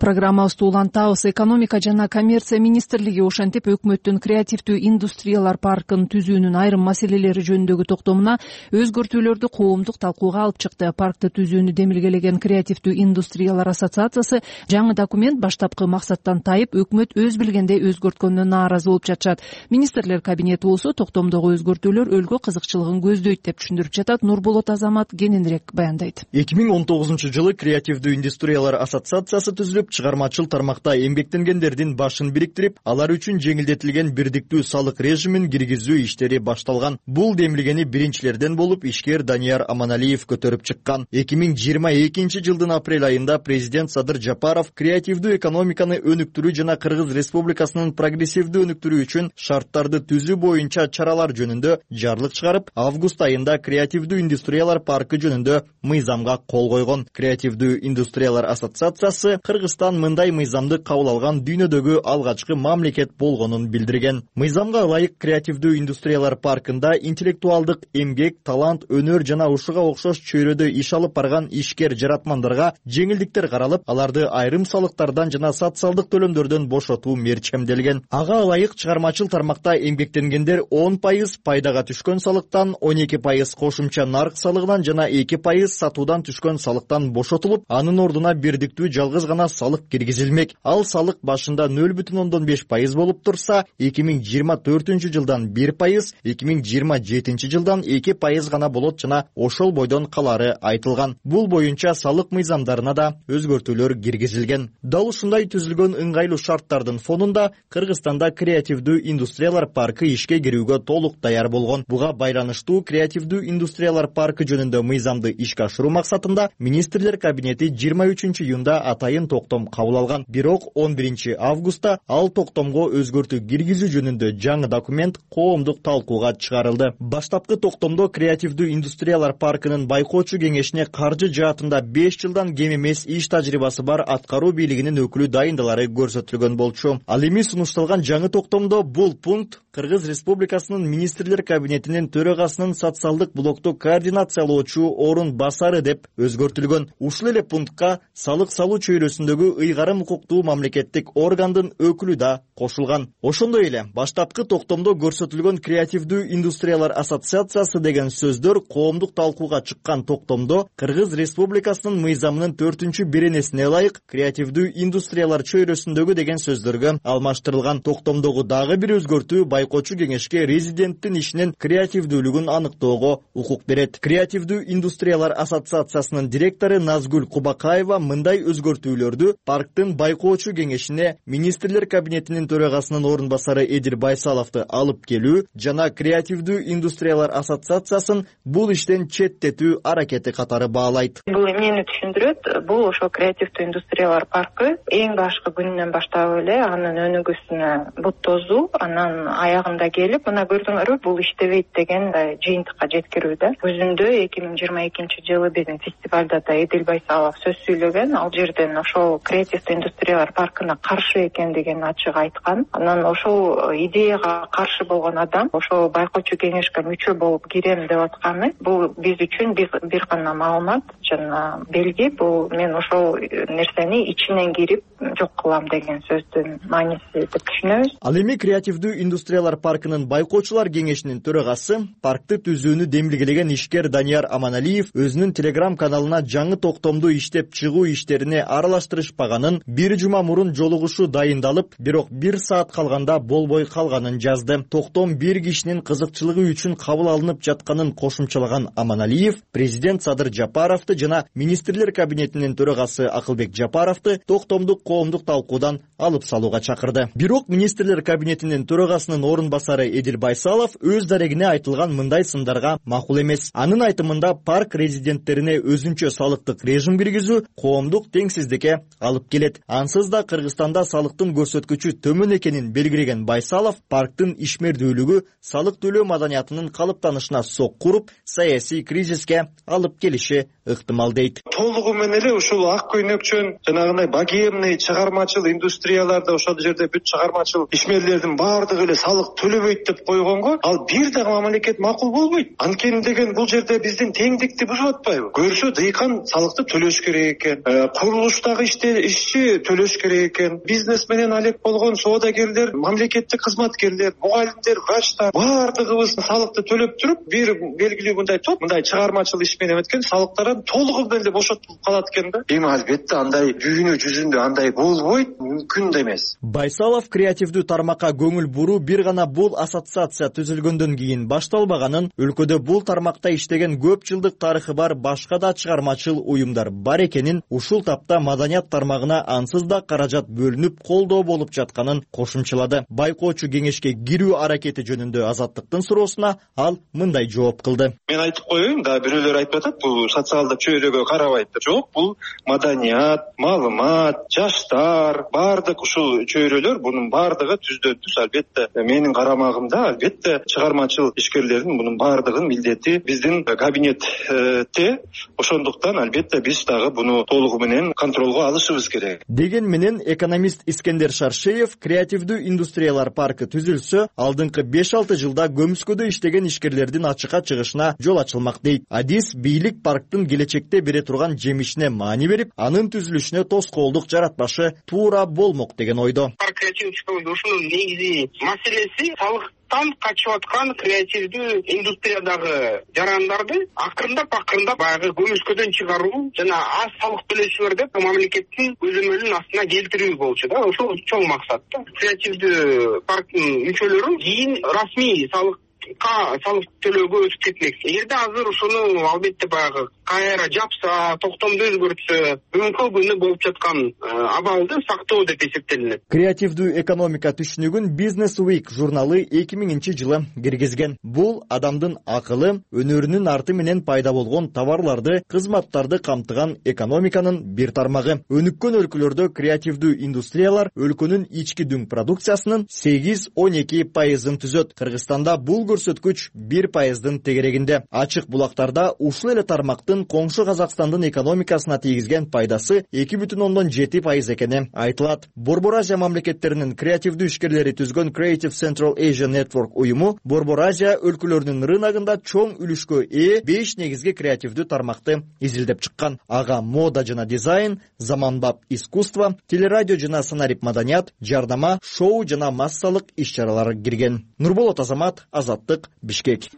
Программабызды улантабыз. Экономика жана коммерция министрлиги ошентип өкмөттүн креативдүү индустриялар паркын түзүүнүн айрым маселелери жөнүндөгү токтомуна өзгөртүүлөрдү коомдук талкууга алып чыкты. Паркты түзүүнү демилгелеген креативдүү индустриялар ассоциациясы жаңы документ баштапкы максаттан тайып, өкмөт өз билгенде өзгөрткөнүнө нааразы болуп жатышат. Министрлер кабинети болсо токтомдогу өзгөртүүлөр өлкө кызыкчылыгын көздөйт деп түшүндүрүп жатат. Нурболот Азамат кененирээк баяндайт. 2019-жылы креативдүү индустриялар ассоциациясы түзүлүп, чыгармачыл тармакта эмгектенгендердин башын бириктирип, алар үчүн жеңилдетилген бирдиктүү салык режимин киргизүү иштери башталган. Бул демилгени биринчилерден болуп ишкер Данияр Аманалиев көтөрүп чыккан. 2022-жылдын апрель айында президент Садыр Жапаров креативдүү экономиканы өнүктүрүү жана Кыргыз Республикасынын прогрессивдүү өнүктүрүү үчүн шарттарды түзүү боюнча чаралар жөнүндө жарлык чыгарып, август айында креативдүү индустриялар паркы жөнүндө мыйзамга кол койгон. Креативдүү индустриялар ассоциациясы Кыргызстан мындай мыйзамды кабыл алган дүйнөдөгү алгачкы мамлекет болгонун билдирген. Мыйзамга ылайык креативдүү индустриялар паркында интеллектуалдык эмгек, талант, өнөр жана ушуга окшош чөйрөдө иш алып барган ишкер жаратмандарга жеңилдиктер каралып, аларды айрым салыктардан жана социалдык төлөмдөрдөн бошотуу мерчемделген. Ага ылайык чыгармачыл тармакта эмгектенгендер 10% пайдага түшкөн салыктан, 12% кошумча нарк салыгынан жана 2% сатуудан түшкөн салыктан бошотулуп, анын ордуна бирдиктүү жалгыз гана салык киргизилмек. Ал салык башында 0,5% болуп турса, 2024-жылдан 1%, 2027-жылдан 2% гана болот жана ошол бойдон калары айтылган. Бул боюнча салык мыйзамдарына да өзгөртүүлөр киргизилген. Дал ушундай түзүлгөн ыңгайлуу шарттардын фонунда Кыргызстанда креативдүү индустриялар паркы ишке кирүүгө толук даяр болгон. Буга байланыштуу креативдүү индустриялар паркы жөнүндө мыйзамды ишке ашыруу максатында министрлер кабинети 23-июнда атайын токтом кабыл алган. Бирок 11-августта ал токтомго өзгөртүү киргизүү жөнүндө жаңы документ коомдук талкууга чыгарылды. Баштапкы токтомдо креативдүү индустриялар паркынын байкоочу кеңешине каржы жаатында 5 жылдан кем эмес иш тажрыйбасы бар аткаруу бийлигинин өкүлү дайындалары көрсөтүлгөн болчу. Ал эми сунушталган жаңы токтомдо бул пункт Кыргыз Республикасынын министрлер кабинетинин төрагасынын социалдык блокту координациялоочу орун басары деп өзгөртүлгөн. Ушул эле пунктка салык салуу чөйрөсүндөгү ыйгарым укуктуу мамлекеттик органдын өкүлү да кошулган. Ошондой эле баштапкы токтомдо көрсөтүлгөн креативдүү индустриялар ассоциациясы деген сөздөр коомдук талкууга чыккан токтомдо Кыргыз Республикасынын мыйзамынын 4-беренесине ылайык креативдүү индустриялар чөйрөсүндөгү деген сөздөргө алмаштырылган. Токтомдогу дагы бир өзгөртүү байкоочу кеңешке резиденттин ишинин креативдүүлүгүн аныктоого укук берет. Креативдүү индустриялар ассоциациясынын директору Назгүл Кубакаева мындай өзгөртүүлөрдү парктын байкоочу кеңешине министрлер кабинетинин төрагасынын орун басары Эдил Байсаловду алып келүү жана креативдүү индустриялар ассоциациясын бул иштен четтетүү аракети катары баалайт. Бул эмнени түшүндүрөт? Бул ошо креативдүү индустриялар паркы эң башкы күнүнөн баштап эле анын өнүгүүсүнө бут тозуу, анан аягында келип, мына көрдүңөрбү, бул иштебейт деген жыйынтыкка жеткирүүдө. Өзүндө 2022-жылы биздин фестивалда да Эдил Байсалов сөз сүйлөгөн. Ал жерден ошол креативдүү индустриялар паркына каршы экендигин ачык айткан. Анан ошол идеяга каршы болгон адам ошол байкоочу кеңешке мүчө болуп кирем деп атканы, бул биз үчүн бир гана маалымат жана белги. Бул мен ошол нерсени ичинен кирип жок кылам деген сөздүн мааниси деп түшүнөбүз. Ал эми креативдүү индустриялар паркынын байкоочулар кеңешинин төрагасы, паркты түзүүнү демилгелеген ишкер Данияр Аманалиев өзүнүн телеграм каналына жаңы токтомду иштеп чыгуу иштерине аралаштырышпаганын, бир жума мурун жолугушуу дайындалып, бирок 1 саат калганда болбой калганын жазды. Токтом бир кишинин кызыкчылыгы үчүн кабыл алынып жатканын кошумчалаган Аманалиев, президент Садыр Жапаровду жана министрлер кабинетинин төрагасы Акылбек Жапаровду токтомдук коомдук талкуудан алып салууга чакырды. Бирок министрлер кабинетинин төрагасынын орун басары Эдил Байсалов өз дарегине айтылган мындай сындарга макул эмес. Анын айтымында парк резиденттерине өзүнчө салыктык режим киргизүү коомдук теңсиздикке алып келет. Ансыз да Кыргызстанда салыктын көрсөткүчү төмөн экенин белгилеген Байсалов, парктын ишмердүүлүгү салык төлөө маданиятынын калыптанышына сокку уруп, саясий кризиске алып келиши ыктымал дейт. Толугу менен эле ушул ак көйнөкчөн жанагындай богемный чыгармачыл индустрияларда ошол жерде бүт чыгармачыл ишмерлердин баардыгы эле салык салык төлөбөйт деп койгонго ал бир дагы мамлекет макул болбойт. Анткени деген бул жерде биздин теңдикти бузуп атпайбы? Көрсө дыйкан салыкты төлөш керек экен, курулуштагы ишчи төлөш керек экен, бизнес менен алек болгон соодагерлер, мамлекеттик кызматкерлер, мугалимдер, врачтар баардыгыбыз салыкты төлөп туруп, бир белгилүү мындай топ мындай чыгармачыл иш менен өткөн салыктардан толугу менен бошотулуп калат экен да. Эми албетте андай дүйнө жүзүндө андай болбойт, мүмкүн да эмес. Байсалов креативдүү тармакка көңүл буруу бир гана бул ассоциация түзүлгөндөн кийин башталбаганын, өлкөдө бул тармакта иштеген көп жылдык тарыхы бар башка да чыгармачыл уюмдар бар экенин, ушул тапта маданият тармагына ансыз да каражат бөлүнүп колдоо болуп жатканын кошумчалады. Байкоочу кеңешке кирүү аракети жөнүндө Азаттыктын суроосуна ал мындай жооп кылды. Мен айтып коеюн, да бирөөлөр айтып атат, бул социалдык чөйрөгө карабайт. Жок, бул маданият, маалымат, жаштар, баардык ушул чөйрөлөр, бунун баардыгы түздөн түз албетте менин карамагымда, албетте чыгармачыл ишкерлердин бунун баардыгын милдети биздин кабинетте. Ошондуктан албетте биз дагы буну толугу менен контролго алышыбыз керек. Деген менен экономист Искендер Шаршеев креативдүү индустриялар паркы түзүлсө, алдыңкы 5-6 жылда көмүскөдө иштеген ишкерлердин ачыкка чыгышына жол ачылмак дейт. Адис бийлик парктын келечекте бере турган жемишине маани берип, анын түзүлүшүнө тоскоолдук жаратпашы туура болмок деген ойдо. Парк креативдүү ушунун негизи маселеси салыктан качып аткан креативдүү индустриядагы жарандарды акырындап баягы көмүскөдөн чыгаруу жана аз салык төлөшүңөр деп мамлекеттин көзөмөлүнүн астына келтирүү болчу да. Ошол чоң максат да. Креативдүү парктын мүчөлөрү кийин расмий салык төлөөгө өтүп кетмек. Эгерде азыр ушуну албетте баягы кайра жапса, токтомду өзгөртсө, бүгүнкү күнү болуп жаткан абалды сактоо деп эсептелинет. Креативдүү экономика түшүнүгүн Business Week журналы 2000-жылы киргизген. Бул адамдын акылы, өнөрүнүн арты менен пайда болгон товарларды, кызматтарды камтыган экономиканын бир тармагы. Өнүккөн өлкөлөрдө креативдүү индустриялар өлкөнүн ички дүң продукциясынын 8-12% түзөт. Кыргызстанда бул көрсөткүч 1% тегерегинде. Ачык булактарда ушул эле тармактын коңшу Казакстандын экономикасына тийгизген пайдасы 2,7% экени айтылат. Борбор Азия мамлекеттеринин креативдүү ишкерлери түзгөн Creative Central Asia Network уюму Борбор Азия өлкөлөрүнүн рыногунда чоң үлүшкө ээ 5 негизги креативдүү тармакты изилдеп чыккан. Ага мода жана дизайн, заманбап искусство, телерадио жана санарип маданият, жардама, шоу жана массалык иш-чаралар кирген. Нурболот Азамат, Азаттык, Бишкек.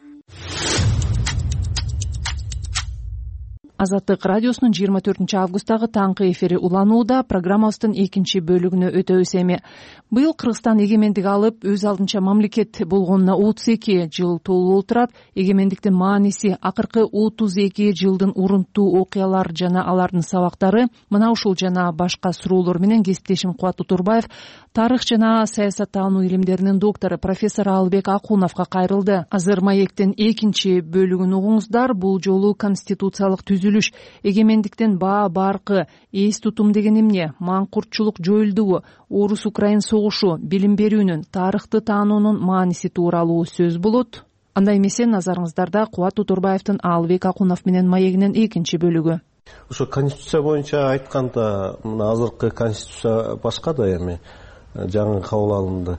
Азаттык радиосунун 24-августтагы таңкы эфири уланууда. Программабыздын экинчи бөлүгүнө өтөбүз эми. Быйыл Кыргызстан эгемендик алып, өз алдынча мамлекет болгонуна 32 жыл толуп турат. Эгемендиктин мааниси, акыркы 32 жылдын урунттуу окуялар жана алардын сабактары. Мына ушул жана башка суроолор менен кесиптешим Кубат Утурбаев тарых жана саясаттануу илимдеринин доктору профессор Алыбек Акуновго кайрылды. Азыр маектин экинчи бөлүгүн угуңуздар. Бул жолу конституциялык түзүлүш, эгемендиктин баа баркы, эс тутум деген эмне, маңкуртчулук жоюлдубу, орус-украин согушу, билим берүүнүн, тарыхты таануунун мааниси тууралуу сөз болот. Андай эмесе назарыңыздарда Кубат Утурбаевдин Алыбек Акунов менен маегинин экинчи бөлүгү. Ошо конституция боюнча айтканда, мына азыркы конституция башка да эми жаңы кабыл алынды.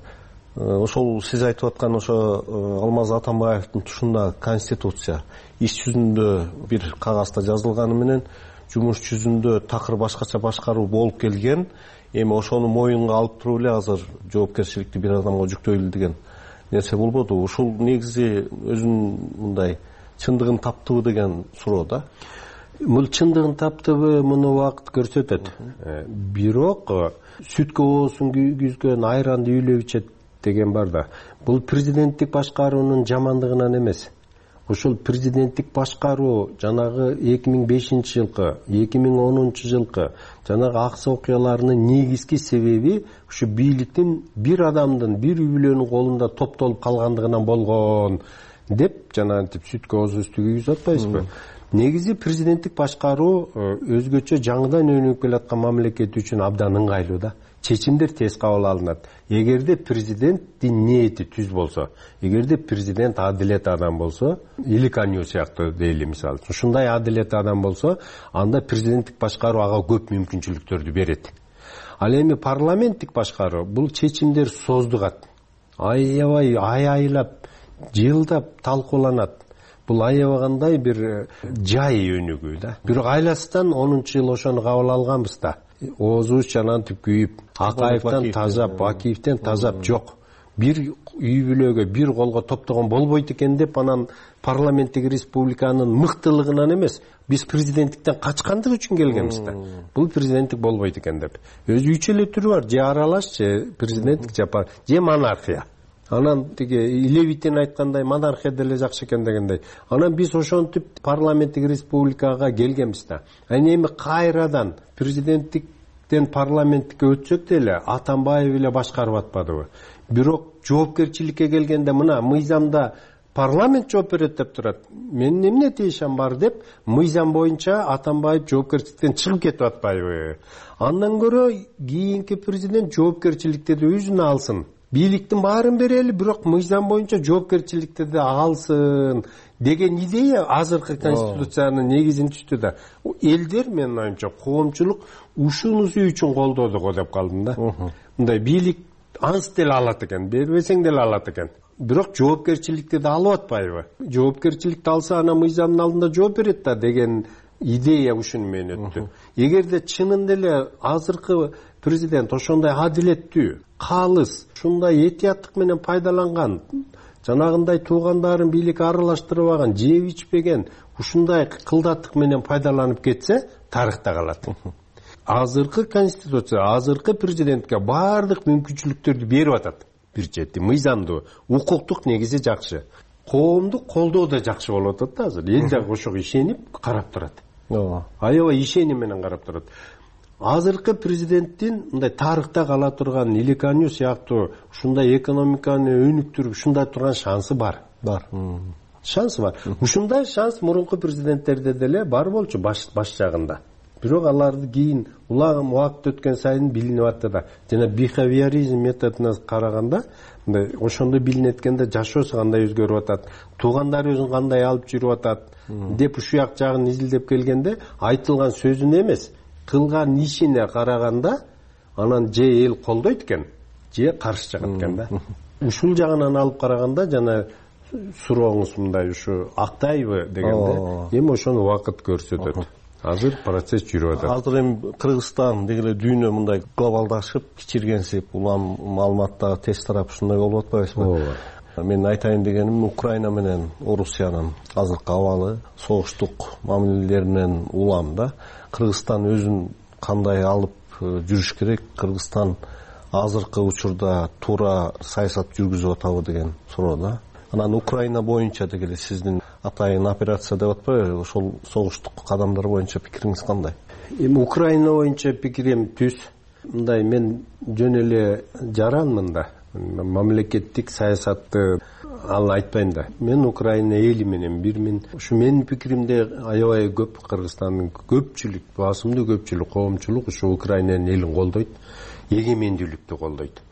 Ошол сиз айтып аткан ошо Алмаз Атамбаевдин тушундагы конституция иш жүзүндө бир кагазда жазылганы менен жумуш жүзүндө такыр башкача башкаруу болуп келген. Эми ошону моюнга алып туруп эле азыр жоопкерчиликти бир адамга жүктөйлү деген нерсе болбоду. Ушул негизи өзүнүн мындай чындыгын таптыбы деген суроо да. Бул чындыгын таптыбы муну убакыт көрсөтөт. Бирок сүткө оосун күйгүзгөн айранды үйлөп ичет деген бар да. Бул президенттик башкаруунун жамандыгынан эмес. Ушул президенттик башкаруу жанагы 2005 жылкы, 2010 жылкы жанагы аксы окуяларынын негизги себеби ушу бийликтин бир адамдын, бир үйлөнүн колунда топтолуп калгандыгынан болгон деп жанагынтип сүткө оозу үстү күйгүзүп атпайсызбы? Негизи президенттик башкаруу өзгөчө жаңыдан өнүгүп келаткан мамлекет үчүн абдан ыңгайлуу да. Чечимдер тез кабыл алынат. Эгерде президенттин ниети түз болсо, эгерде президент адилет адам болсо, Иликанью сыяктуу дейли мисалы, ушундай адилет адам болсо, анда президенттик башкаруу ага көп мүмкүнчүлүктөрдү берет. Ал эми парламенттик башкаруу бул чечимдер создугат. аябай айлап жылдап талкууланат. Бул аябагандай бир жай өнүгүү да. Бирок айласынан 10-жыл ошону кабыл алганбыз да. Оозубуз жанантип күйүп, Акаевден тазап, Бакиевден тазап жок. Бир үй бүлөгө, бир колго топтогон болбойт экен деп, анан парламенттик республиканын мыктылыгынан эмес, биз президенттиктен качкандык үчүн келгенбиз да. Бул президенттик болбойт экен деп. Өзү үч эле түрү бар: же аралаш, же президенттик, же монархия. Анан тиги Левитин айткандай монархия деле жакшы экен дегендей. Анан биз ошентип парламенттик республикага келгенбиз да. Эми кайрадан президенттиктен парламенттикке өтсөк деле Атамбаев эле башкарып атпадыбы? Бирок жоопкерчиликке келгенде мына мыйзамда парламент жооп берет деп турат. Менин эмне тиешем бар деп, мыйзам боюнча Атамбаев жоопкерчиликтен чыгып кетип атпайбы? Андан көрө кийинки президент жоопкерчиликти да өзүнө алсын. Бийликтин баарын берели, бирок мыйзам боюнча жоопкерчиликти да алсын деген идея азыркы конституциянын негизин түздү да. Элдер, менин оюмча, коомчулук ушунусу үчүн колдоду го деп калдым да. Мындай бийлик анс деле алат экен, бербесең деле алат экен. Бирок жоопкерчиликти да алып атпайбы? Жоопкерчиликти алса анан мыйзамдын алдында жооп берет да деген идея ушуну менен өттү. Эгерде чынында эле азыркы президент ошондой адилеттүү, калыс, ушундай этияттык менен пайдаланган, жанагындай туугандарын бийликке аралаштырбаган, жеп ичпеген, ушундай кылдаттык менен пайдаланып кетсе, тарыхта калат. Азыркы конституция, азыркы президентке баардык мүмкүнчүлүктөрдү берип атат. Бир чети мыйзамдуу, укуктук негизи жакшы. Коомдук колдоо да жакшы болуп атат да азыр. Эл дагы ошого ишенип карап турат. Аябай ишеним менен карап турат. Азыркы президенттин мындай тарыхта кала турган Иликаню сыяктуу ушундай экономиканы өнүктүрүп ушундай турган шансы бар. Шансы бар. Ушундай шанс мурунку президенттерде деле бар болчу баш жагында. Бирок аларды кийин улагым убакыт өткөн сайын билинип атты да. Жана бихевиоризм методуна караганда, мындай ошондо билинип эткенде жашоосу кандай өзгөрүп атат, туугандары өзүн кандай алып жүрүп атат деп ушуяк жагын изилдеп келгенде айтылган сөзүнө эмес, кылган ишине караганда анан же эл колдойт экен, же каршы чыгат экен да. Ушул жагынан алып караганда жана сурооңуз мындай ушу актайбы дегенде, эми ошону убакыт көрсөтөт. Азыр процесс жүрүп атат. Азыр эми Кыргызстан дегеле дүйнө мындай глобалдашып, кичиргенсип, улам маалыматтагы тез тарап ушундай болуп атпайбызбы? Мен айтайын дегеним, Украина менен Орусиянын азыркы абалы, согуштук мамилелеринен улам да. Кыргызстан өзүн кандай алып жүрүш керек? Кыргызстан азыркы учурда туура саясат жүргүзүп атабы деген суроо да. Анан Украина боюнча дегеле сиздин атайын операция деп атпайбы? Ошол согуштук кадамдар боюнча пикириңиз кандай? Эми Украина боюнча пикирим түз. Мындай мен жөн эле жаранмын да. Мамлекеттик саясатты ал айтпайм да. Мен Украина эли менен ушу менин пикиримде аябай көп Кыргызстандын көпчүлүк, басымдуу көпчүлүк коомчулук ушу Украинанын элин колдойт, эгемендүүлүктү колдойт.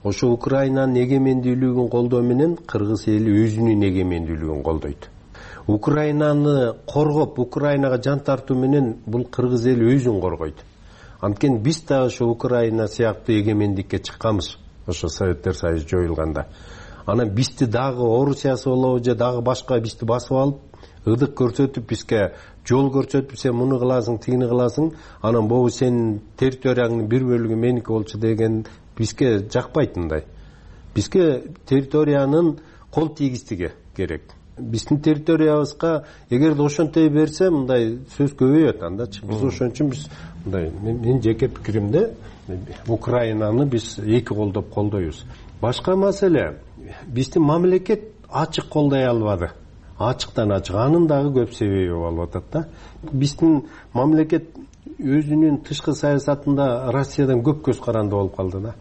Ошо Украинанын эгемендүүлүгүн колдоо менен кыргыз эли өзүнүн эгемендүүлүгүн колдойт. Украинаны коргоп, Украинага жан тартуу менен бул кыргыз эли өзүн коргойт. Анткени биз да ошо Украина сыяктуу эгемендикке чыкканбыз, ошо Советтер Союзу жоюлганда. Анан бизди дагы Орусиясы болобу же дагы башка бизди басып алып, ыдык көрсөтүп, бизге жол көрсөтүп, сен муну кыласың, тигини кыласың, анан могу сенин территорияңдын бир бөлүгү меники болчу деген бизге жакпайт мындай. Бизге территориянын кол тийгиздиги керек. Биздин территориябызга эгерде ошонтой берсе, мындай сөз көбөйөт андачы. Биз ошон үчүн биз мындай, мен жеке пикиримде Украинаны биз эки колдоп колдойбуз. Башка маселе, биздин мамлекет ачык колдой албады. Ачыктан ачык, анын дагы көп себеби болуп атат да. Биздин мамлекет өзүнүн тышкы саясатында Россиядан көп көз каранды болуп калды да.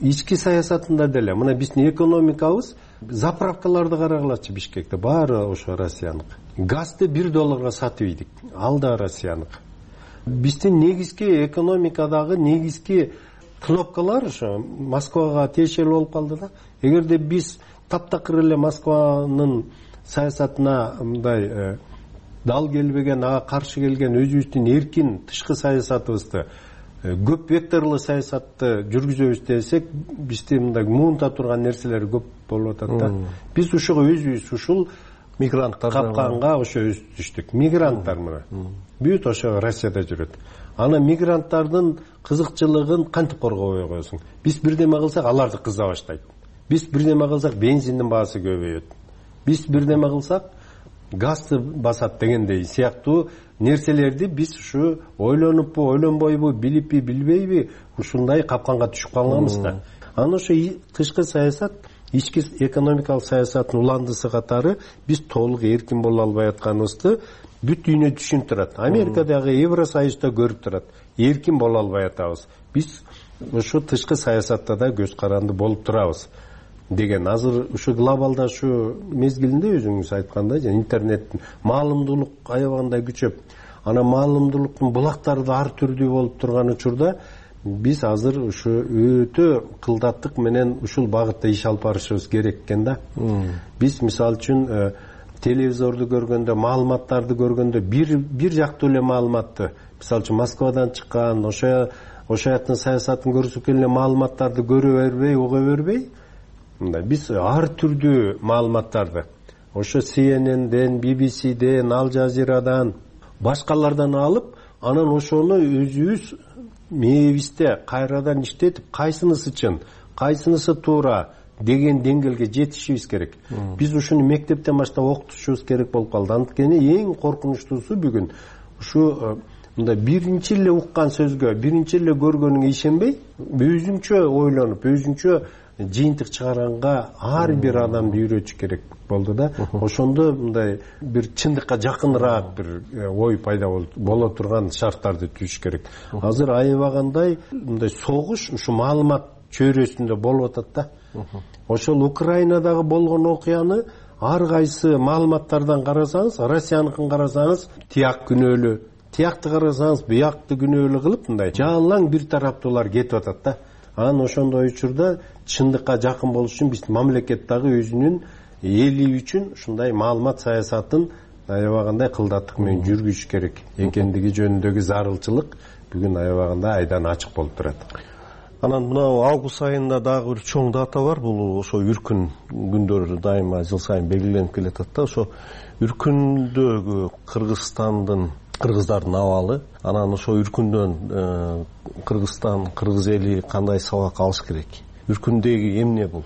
Ички саясатында деле, мына биздин экономикабыз, заправкаларды карагылачы Бишкекте, баары ошо Россияныкы. Газды $1 сатып ийдик, ал да Россияныкы. Биздин негизги экономикадагы негизги кнопкалар ошо Москвага тиешелүү болуп калды да. Эгерде биз таптакыр эле Москванын саясатына мындай дал келбеген, ага каршы келген өзүбүздүн эркин тышкы саясатыбызды көп векторлуу саясатты жүргүзөбүз десек, бизде мындай муунта турган нерселер көп болуп атат да. Биз ушуга өзүбүз ушул мигранттар капканга ошо өз түштүк. Мигранттар мына бүт ошо Россияда жүрөт. Ана мигранттардын кызыкчылыгын кантип коргобой коесуң? Биз бирдеме кылсак, аларды кыза баштайт. Биз бирдеме кылсак, бензиндин баасы көбөйөт. Биз бирдеме кылсак, газды басат дегендей сыяктуу нерселерди биз ушу ойлонуппу, ойлонбойбу, билиппи, билбейби, ушундай капканга түшүп калганбыз да. Аны ошо тышкы саясат, ички экономикалык саясаттын уландысы катары биз толук эркин боло албай атканыбызды бүт дүйнө түшүнүп турат. Америкадагы Евросоюзда көрүп турат. Эркин боло албай атабыз. Биз ушу тышкы саясатта да көз каранды болуп турабыз деген. Азыр ушу глобалдашуу мезгилинде өзүңүз айткандай, интернеттин маалымдуулук аябагандай күчөп, ана маалымдуулуктун булактары да ар түрдүү болуп турган учурда биз азыр ушу өтө кылдаттык менен ушул багытта иш алып барышыбыз керек экен да. Биз мисалы үчүн телевизорду көргөндө, маалыматтарды көргөндө бир жактуу эле маалыматты, мисалы үчүн Москвадан чыккан, ошо жактын саясатын көрсөткен эле маалыматтарды көрө бербей, уга бербей, мындай биз ар түрдүү маалыматтарды ошо CNN-ден, BBC-ден, Al Jazeera'дан, башкалардан алып, анан ошону өзүбүз мээбизде кайрадан иштетип, кайсынысы чын, кайсынысы туура деген деңгээлге жетишибиз керек. Биз ушуну мектептен баштап окутушубуз керек болуп калды. Анткени эң коркунучтуусу бүгүн ушу мындай биринчи эле уккан сөзгө, биринчи эле көргөнүңө ишенбей, өзүңчө ойлонуп, өзүңчө жыйынтык чыгарганга ар бир адамды үйрөтүш керек болду да. Ошондо мындай бир чындыкка жакыныраак бир ой пайда боло турган шарттарды түзүш керек. Азыр аябагандай мындай согуш ушу маалымат чөйрөсүндө болуп атат да. Ошол Украинадагы болгон окуяны ар кайсы маалыматтардан карасаңыз, Россияныкын карасаңыз, тияк күнөөлүү, тиякты карасаңыз, буякты күнөөлүү кылып мындай жалаң бир тараптуулар кетип атат да. Анан ошондой учурда чындыкка жакын болуш үчүн биз мамлекет дагы өзүнүн эли үчүн ушундай маалымат саясатын аябагандай кылдаттык менен жүргүзүш керек экендиги жөнүндөгү зарылчылык бүгүн аябагандай айдан ачык болуп турат. Анан мына август айында дагы бир чоң дата бар. Бул ошо үркүн күндөрү дайыма жыл сайын белгиленип келатат да. Ошо үркүндөгү кыргыздардын абалы, анан ошо үркүндөн Кыргызстан, кыргыз эли кандай сабак алыш керек? Үркүндөгү эмне бул?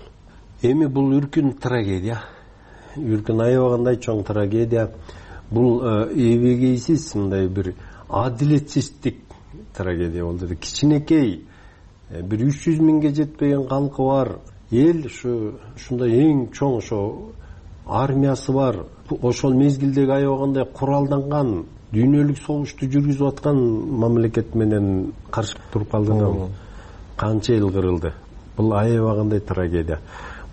Эми бул үркүн трагедия. Үркүн аябагандай чоң трагедия. Бул эбегейсиз мындай бир адилетсиздик трагедия болду. Кичинекей бир 300 миңге жетпеген калкы бар эл, ушундай эң чоң ошо армиясы бар, ошол мезгилдеги аябагандай куралданган дүйнөлүк согушту жүргүзүп аткан мамлекет менен каршы туруп калдыгы канча эл кырылды. Бул аябагандай трагедия.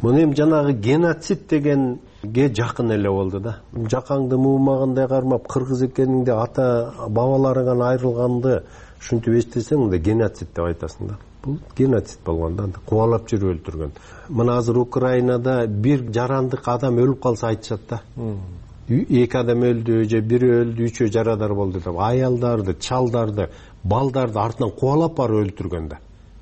Муну эми жанагы геноцид дегенге жакын эле болду да. Жакаңды муумагандай кармап, кыргыз экениңди, ата бабаларыңан айрылганды ушинтип эстесең, мындай геноцид деп айтасың да. Бул геноцид болгон да, кубалап жүрүп өлтүргөн. Мына азыр Украинада бир жарандык адам өлүп калса айтышат да. 2 адам өлдү, же 1 өлдү, 3 жарадар болду деп. Аялдарды, чалдарды, балдарды артынан кубалап барып өлтүргөн да.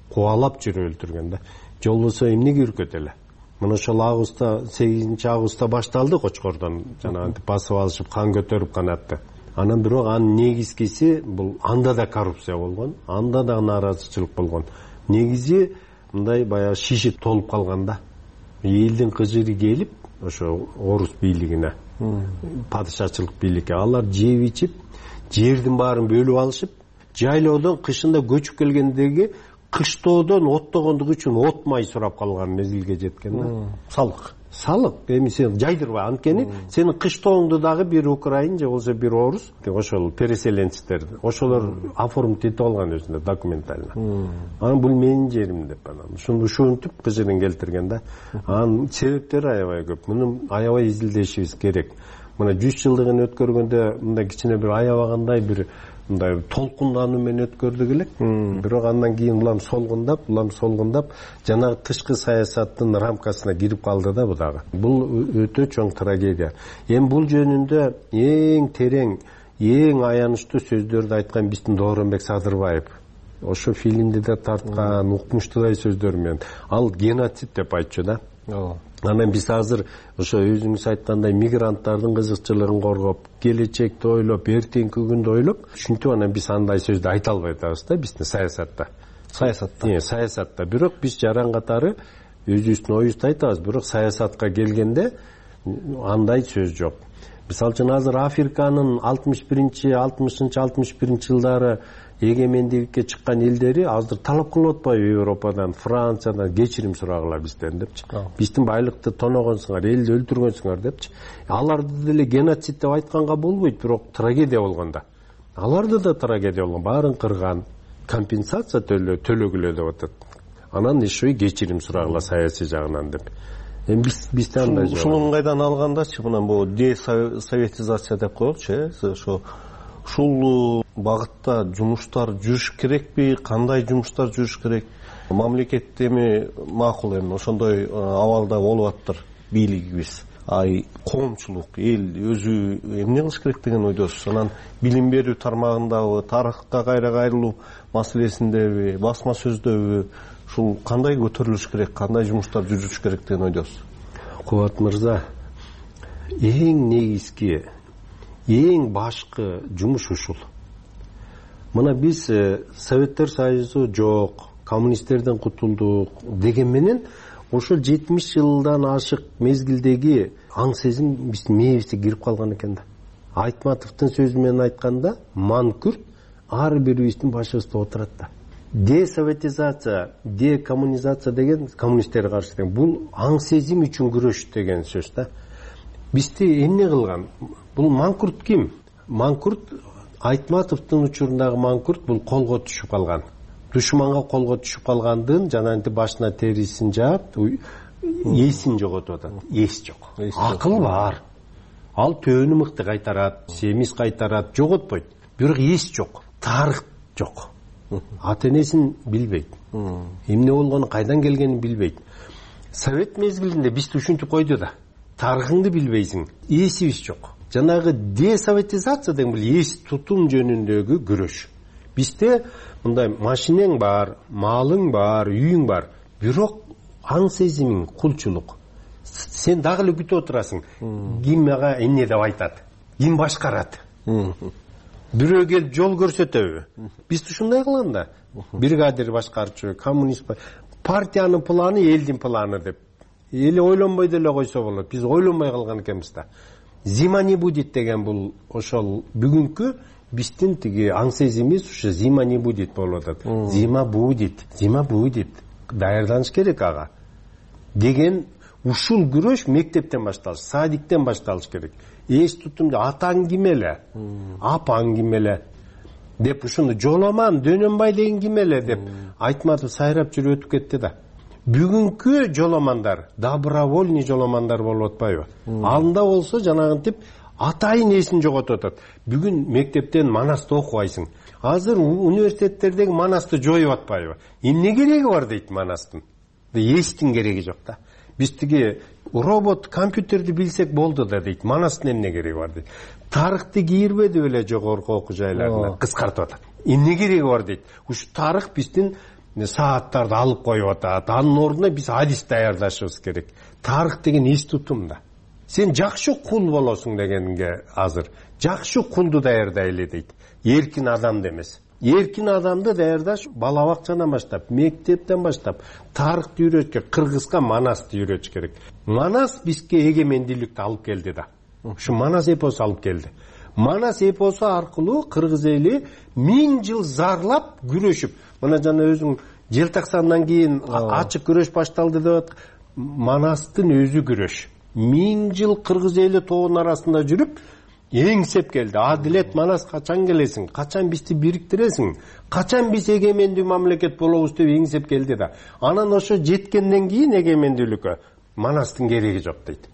Кубалап жүрүп өлтүргөн да. Жолбосо эмнеге үркөт эле? Мына ошол августта, 8-августта башталды Кочкордон, жанагынтип басып алышып, кан көтөрүп канатты. Анан бирок анын негизгиси бул анда да коррупция болгон, анда да нааразычылык болгон. Негизи мындай баягы шиши толуп калган да. Элдин кыжыры келип, ошо орус бийлигине, падышачылык бийликке алар жеп ичип, жердин баарын бөлүп алышып, жайлоодон кышында көчүп келгендеги кыштоодон оттогондугу үчүн от май сурап калган мезгилге жеткен да. Салык. Эми сен жайдырба, анткени сенин кыштооңду дагы бир украин же болсо бир орус, ошол переселенцтер, ошолор оформить этип алган өзүнө документально. Анан бул менин жерим деп анан ушинтип кыжырын келтирген да. Анын себептери аябай көп. Муну аябай изилдешибиз керек. Мына 100 жылдыгын өткөргөндө мындай кичине бир аябагандай бир мындай толкундануу менен өткөрдүк элек. Бирок андан кийин улам солгундап, жанагы тышкы саясаттын рамкасына кирип калды да бу дагы. Бул өтө чоң трагедия. Эми бул жөнүндө эң терең, эң аянычтуу сөздөрдү айткан биздин Дооронбек Садырбаев. ошо фильмди да тарткан, укмуштуудай сөздөр менен. Ал геноцид деп айтчу да. Анан биз азыр ошо өзүңүз айткандай мигранттардын кызыкчылыгын коргоп, келечекти ойлоп, эртеңки күндү ойлоп, ушинтип анан биз андай сөздү айта албай атабыз да биздин саясатта. Бирок биз жаран катары өзүбүздүн оюбузду айтабыз, бирок саясатка келгенде андай сөз жок. Мисалы үчүн азыр Африканын 60-61 жылдары эгемендикке чыккан элдери азыр талап кылып атпайбы Европадан, Франциядан кечирим сурагыла бизден депчи. Биздин байлыкты тоногонсуңар, элди өлтүргөнсүңөр депчи. Аларды деле геноцид деп айтканга болбойт, бирок трагедия болгондо. Аларды да трагедия болгон, баарын кырган, компенсация төлөгүлө деп атат. Анан еще кечирим сурагыла саясий жагынан деп. Эми бизде андай жок. Ушунун кайдан алгандачы мына бул десоветизация деп коелучу, ушул багытта жумуштар жүрүш керекпи, кандай жумуштар жүрүш керек? Мамлекет эми макул эми ошондой абалда болуп атыптыр бийлигибиз. Коомчулук, эл өзү эмне кылыш керек деген ойдосуз? Анан билим берүү тармагындагы тарыхка кайра кайрылуу маселесиндеби, басма сөздөбү ушул кандай көтөрүлүш керек, кандай жумуштар жүрүш керек деген ойдосуз? Кубат мырза, эң негизги, эң башкы жумуш ушул. Мына биз Советтер Союзу жок, коммунисттерден кутулдук деген менен ошол 70 жылдан ашык мезгилдеги аң сезим биздин мээбизге кирип калган экен да. Айтматовдун сөзү менен айтканда, манкүрт ар бирибиздин башыбызда отурат да. Десоветизация, декоммунизация деген коммунисттерге каршы деген бул аң сезим үчүн күрөш деген сөз да. Бизди эмне кылган? Бул манкурт ким? Манкурт Айтматовдун учурундагы манкурт бул колго түшүп калган. Душманга колго түшүп калгандын жанагынтип башына терисин жаап, эсин жоготуп атат. Эс жок. Акыл бар. Ал төөнү мыкты кайтарат, семиз кайтарат, жоготпойт. Бирок эс жок. Тарых жок. Ата-энесин билбейт. Эмне болгону, кайдан келгенин билбейт. Совет мезгилинде бизди ушинтип койду да. Тарыхыңды билбейсиң, эсибиз жок. Жанагы десоветизация деген бул эс тутум жөнүндөгү күрөш. Бизде мындай машинең бар, малың бар, үйүң бар, бирок аң сезимиң кулчулук. Сен дагы эле күтүп отурасың. Ким мага эмне деп айтат? Ким башкарат? Бирөө келип жол көрсөтөбү? Биз ушундай кылган да. Бригадир башкарчу, коммунист партиянын планы элдин планы деп. Эли ойлонбой деле койсо болот. Биз ойлонбой калган экенбиз да. Зима не будет деген бул ошол бүгүнкү биздин тиги аң сезимибиз ушу зима не будет болуп атат. Зима будет, даярданыш керек ага. Деген ушул күрөш мектептен башталыш, садиктен башталыш керек. Эс тутумду атаң ким эле, апаң ким эле деп ушуну жоламан, Дөнөнбай деген ким эле деп Айтматов сайрап жүрүп өтүп кетти да. Бүгүнкү жоламандар, добровольный жоламандар болуп атпайбы? Алында болсо жанагынтип атайын эсин жоготуп атат. Бүгүн мектептен Манасты окубайсың. Азыр университеттердеги Манасты жоюп атпайбы? Эмне кереги бар дейт Манастын? Эстин кереги жок да. Биз тиги робот, компьютерди билсек болду да дейт. Манастын эмне кереги бар дейт. Тарыхты кийирбеди беле жогорку окуу жайларына кыскартып атат. Эмне кереги бар дейт. Ушу тарых биздин сааттарды алып коюп атат. Анын ордуна биз адис даярдашыбыз керек. Тарых деген эс тутум да. Сен жакшы кул болосуң дегенге азыр жакшы кулду даярдайлы дейт. Эркин адамды эмес. Эркин адамды даярдаш бала бакчадан баштап, мектептен баштап, тарыхты үйрөтүш керек, кыргызга Манасты үйрөтүш керек. Манас бизге эгемендүүлүктү алып келди да. Ушу Манас эпосу алып келди. Манас эпосу аркылуу кыргыз эли 1000 жыл зарлап, күрөшүп, мына жана өзүң Желтоқсандан кийин ачык күрөш башталды деп атат. Манастын өзү күрөш. 1000 жыл кыргыз эли тоонун арасында жүрүп, эңсеп келди. Адилет, Манас качан келесиң? Качан бизди бириктиресиң? Качан биз эгемендүү мамлекет болобуз деп эңсеп келди да. Анан ошо жеткенден кийин эгемендүүлүккө Манастын кереги жок дейт.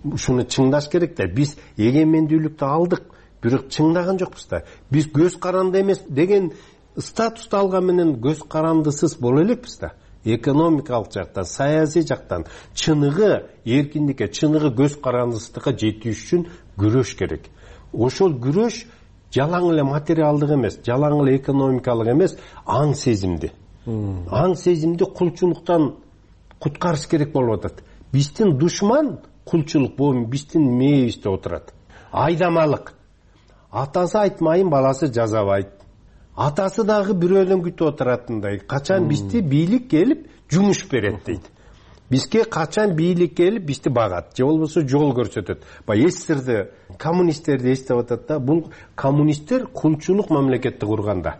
Ушуну чыңдаш керек да. Биз эгемендүүлүктү алдык, бирок чыңдаган жокпуз да. Биз көз каранды эмес деген статусту алган менен көз карандысыз боло элекпиз да. Экономикалык жактан, саясий жактан чыныгы эркиндикке, чыныгы көз карандысыздыкка жетиш үчүн күрөш керек. Ошол күрөш жалаң эле материалдык эмес, жалаң эле экономикалык эмес, аң сезимди. Аң сезимди кулчулуктан куткарыш керек болуп атат. Биздин душман кулчулук, бул биздин мээбизде отурат. Айдамалык. Атасы айтмайын, баласы жазабайт. Атасы дагы бирөөдөн күтүп отуратындай. Качан бизди бийлик келип жумуш берет дейт. Бизге качан бийлик келип бизди багат, же болбосо жол көрсөтөт. Эстерди, коммунисттерди эстеп атат да. Бул коммунисттер кулчулук мамлекетти курганда.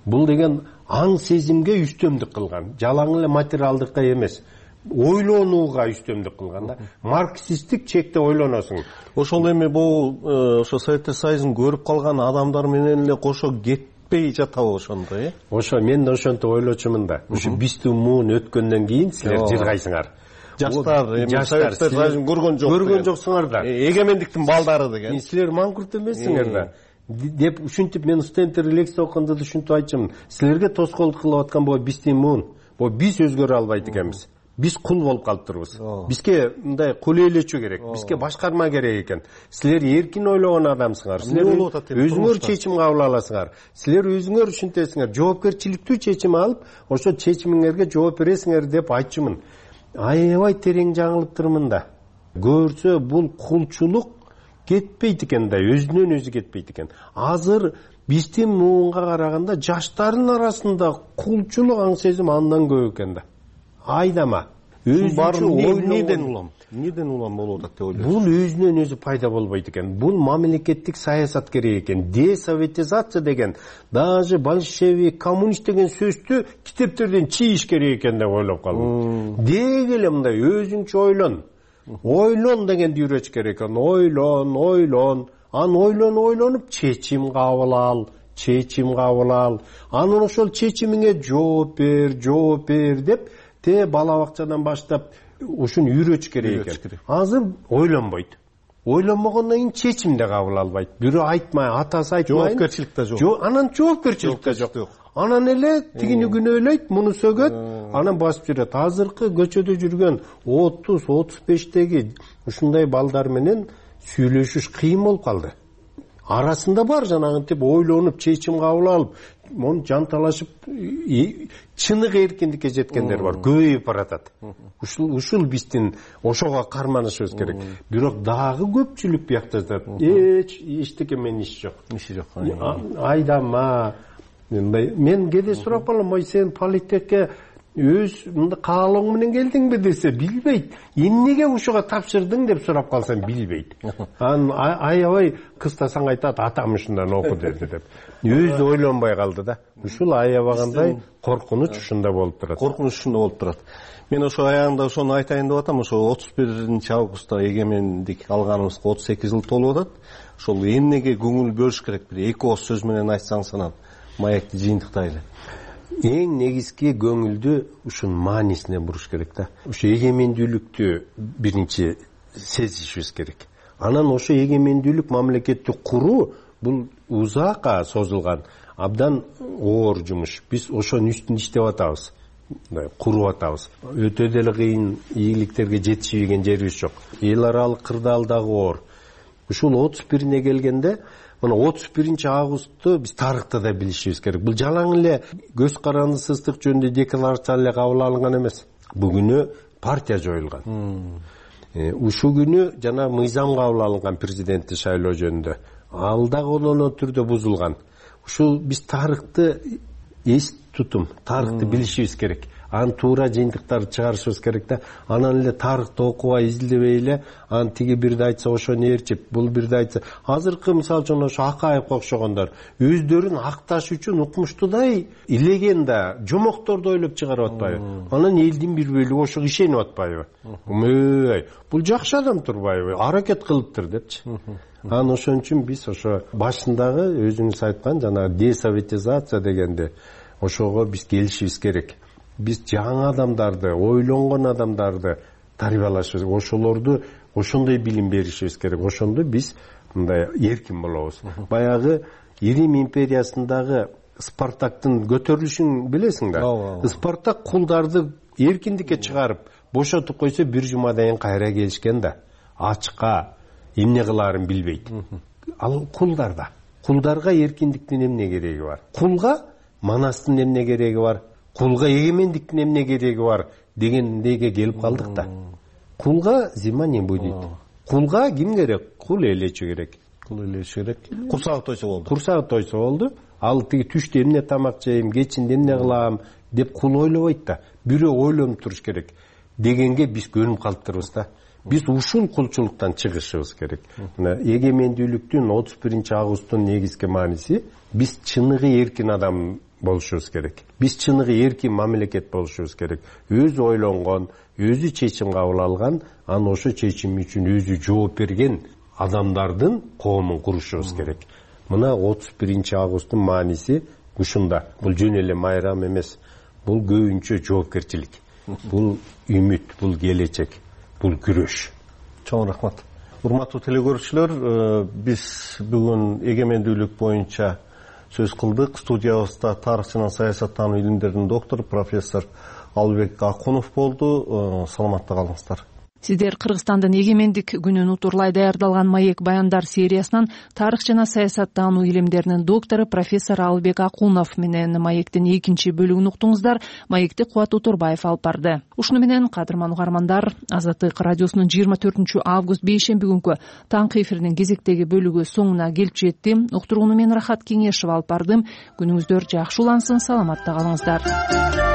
Бул деген аң сезимге үстөмдүк кылган, жалаң эле материалдыкка эмес, ойлонууга үстөмдүк кылган да. Марксисттик чекте ойлоносуң. Ошол эми бул ошо Советтер Союзун көрүп калган адамдар менен эле кошо кетпей жатабы ошондо, Ошо мен да ошентип ойлочумун да. Ушу биздин муун өткөндөн кийин силер жыргайсыңар. Жаштар Советтер Союзун көргөн жок. Көргөн жоксуңар да. Эгемендиктин балдары деген. Силер маңкурт эмессиңер да. Деп ушинтип мен студенттер лекция окуганда да ушинтип айтчумун. Силерге тоскоолдук кылып аткан бул биздин муун. Бул биз өзгөрө албайт экенбиз. Биз кул болуп калыптырбыз. Бизге мындай кул ээлечүү керек. Бизге башкарма керек экен. Силер эркин ойлогон адамсыңар. Силер өзүңөр чечим кабыл аласыңар. Силер өзүңөр ушинтесиңер. Жоопкерчиликтүү чечим алып, ошо чечимиңерге жооп бересиңер деп айтчумун. Аябай терең жаңылыптырмын да. Көрсө бул кулчулук кетпейт экен да, өзүнөн өзү кетпейт экен. Азыр биздин муунга караганда жаштардын арасында кулчулук аң сезим андан көп экен да. Айдама. Неден улам болуп атат деп ойлойсуз? Бул өзүнөн өзү пайда болбойт экен. Бул мамлекеттик саясат керек экен. Десоветизация деген, даже большевик, коммунист деген сөздү китептерден чийиш керек экен деп ойлоп калдым. Деги эле мындай өзүңчө ойлон. Ойлон дегенди үйрөтүш керек экен. Ойлон. Ойлонуп чечим кабыл ал. Анан ошол чечимиңе жооп бер деп бала бакчадан баштап ушуну үйрөтүш керек экен. Азыр ойлонбойт. Ойлонбогондон кийин чечим да кабыл албайт. Бирөө айтмай, атасы айтмай. Жоопкерчилик да жок. Анан жоопкерчилик да жок. Анан эле тигини күнөөлөйт, муну сөгөт, анан басып жүрөт. Азыркы көчөдө жүргөн 30-35теги ушундай балдар менен сүйлөшүш кыйын болуп калды. Арасында бар жанагынтип ойлонуп, чечим кабыл алып, мону жанталашып, чыныгы эркиндикке жеткендер бар, көбөйүп баратат. Ушул биздин ошого карманышыбыз керек. Бирок дагы көпчүлүк биякта жатат. Эчтеке менен иш жок. Айдама. Мен кээде сурап калам, сен политекке өз каалооң менен келдиңби десе, билбейт. Эмнеге ушуга тапшырдың деп сурап калсам билбейт. Аябай кыстасаң айтат, атам ушундан оку деди деп. Өзү ойлонбой калды да. Ушул аябагандай коркунуч ушунда болуп турат. Мен ошо аягында ошону айтайын деп атам. Ошо 31-августта эгемендик алганыбызга 38 жыл толуп атат. Ошол эмнеге көңүл бөлүш керек? Бир эки ооз сөз менен айтсаңыз анан маекти жыйынтыктайлы. Эң негизги көңүлдү ушун маанисине буруш керек да. Ошо эгемендүүлүктү биринчи сезишибиз керек. Анан ошо эгемендүүлүк мамлекетти куруу бул узакка созулган абдан оор жумуш. Биз ошонун үстүндө иштеп атабыз. Куруп атабыз. Өтө деле кыйын ийгиликтерге жетишбеген жерибиз жок. Эл аралык кырдаал дагы оор. Ушул 31-ине келгенде, мына 31-августту биз тарыхта да билишибиз керек. Бул жалаң эле көз карандысыздык жөнүндө декларация эле кабыл алынган эмес. Бүгүнү партия жоюлган. Ушул күнү жана мыйзам кабыл алынган президентти шайлоо жөнүндө. Ал да колоно түрдө бузулган. Ушул биз тарыхты эс тутум, тарыхты билишибиз керек. Анын туура жыйынтыктарды чыгарышыбыз керек да. Анан эле тарыхты окубай, изилдебей эле, аны тиги бирди айтса ошону ээрчип, бул бирди айтса. Азыркы мисалы үчүн ошо Акаевге окшогондор өздөрүн акташ үчүн укмуштуудай илеген да, жомокторду ойлоп чыгарып атпайбы? Анан элдин бир бөлүгү ошого ишенип атпайбы? Бул жакшы адам турбайбы? Аракет кылыптыр депчи. Анан ошон үчүн биз ошо башындагы өзүңүз айткан жана десоветизация дегенде ошого биз келишибиз керек. Биз жаңы адамдарды, ойлонгон адамдарды тарбиялашыбыз, ошолорду ошондой билим беришибиз керек. Ошондо биз мындай эркин болобуз. Баягы Рим империясындагы Спартактын көтөрүлүшүн билесиң да. Спартак кулдарды эркиндикке чыгарып, бошотуп койсо бир жумадан кийин кайра келишкен да. Ачка эмне кылаарын билбейт. Ал кулдар да. кулдарга эркиндиктин эмне кереги бар, кулга манастын эмне кереги бар, кулга эгемендиктин эмне кереги бар дегендейге келип калдык да. Кулга зима не будет. Кулга ким керек? Кул элечи керек. Кул элечи керек. Курсагы тойсо болду. Курсагы тойсо болду. Ал тиги түштө эмне тамак жейм, кечинде эмне кылам деп кул ойлобойт да. Бирөө ойлонуп туруш керек дегенге биз көнүп калыптырбыз да. Биз ушул кулчулуктан чыгышыбыз керек. Мына эгемендүүлүктүн 31-августтун негизги мааниси биз чыныгы эркин адам болушубуз керек. Биз чыныгы эркин мамлекет болушубуз керек. Өзү ойлонгон, өзү чечим кабыл алган, анан ошо чечим үчүн өзү жооп берген адамдардын коомун курушубуз керек. Мына 31-августтун мааниси ушунда. Бул жөн эле майрам эмес. Бул көбүнчө жоопкерчилик. Бул үмүт, бул келечек, бул күрөш. Чоң рахмат. Урматтуу телекөрүүчүлөр, биз бүгүн эгемендүүлүк боюнча сөз кылдык. Студиябызда тарых жана саясаттануу илимдеринин доктору профессор Албек Акунов болду. Саламатта калыңыздар. Сиздер Кыргызстандын эгемендик күнүн утурлай даярдалган маек баяндар сериясынан тарых жана саясаттануу илимдеринин доктору профессор Албек Акунов менен маектин экинчи бөлүгүн уктуңуздар. Маекти Кубат Утурбаев алып барды. Ушуну менен кадырман угармандар, Азаттык радиосунун 24-август бейшемби күнкү таңкы эфиринин кезектеги бөлүгү соңуна келип жетти. Уктурууну мен Рахат Кеңешева алып бардым. Күнүңүздөр жакшы улансын, саламатта калыңыздар.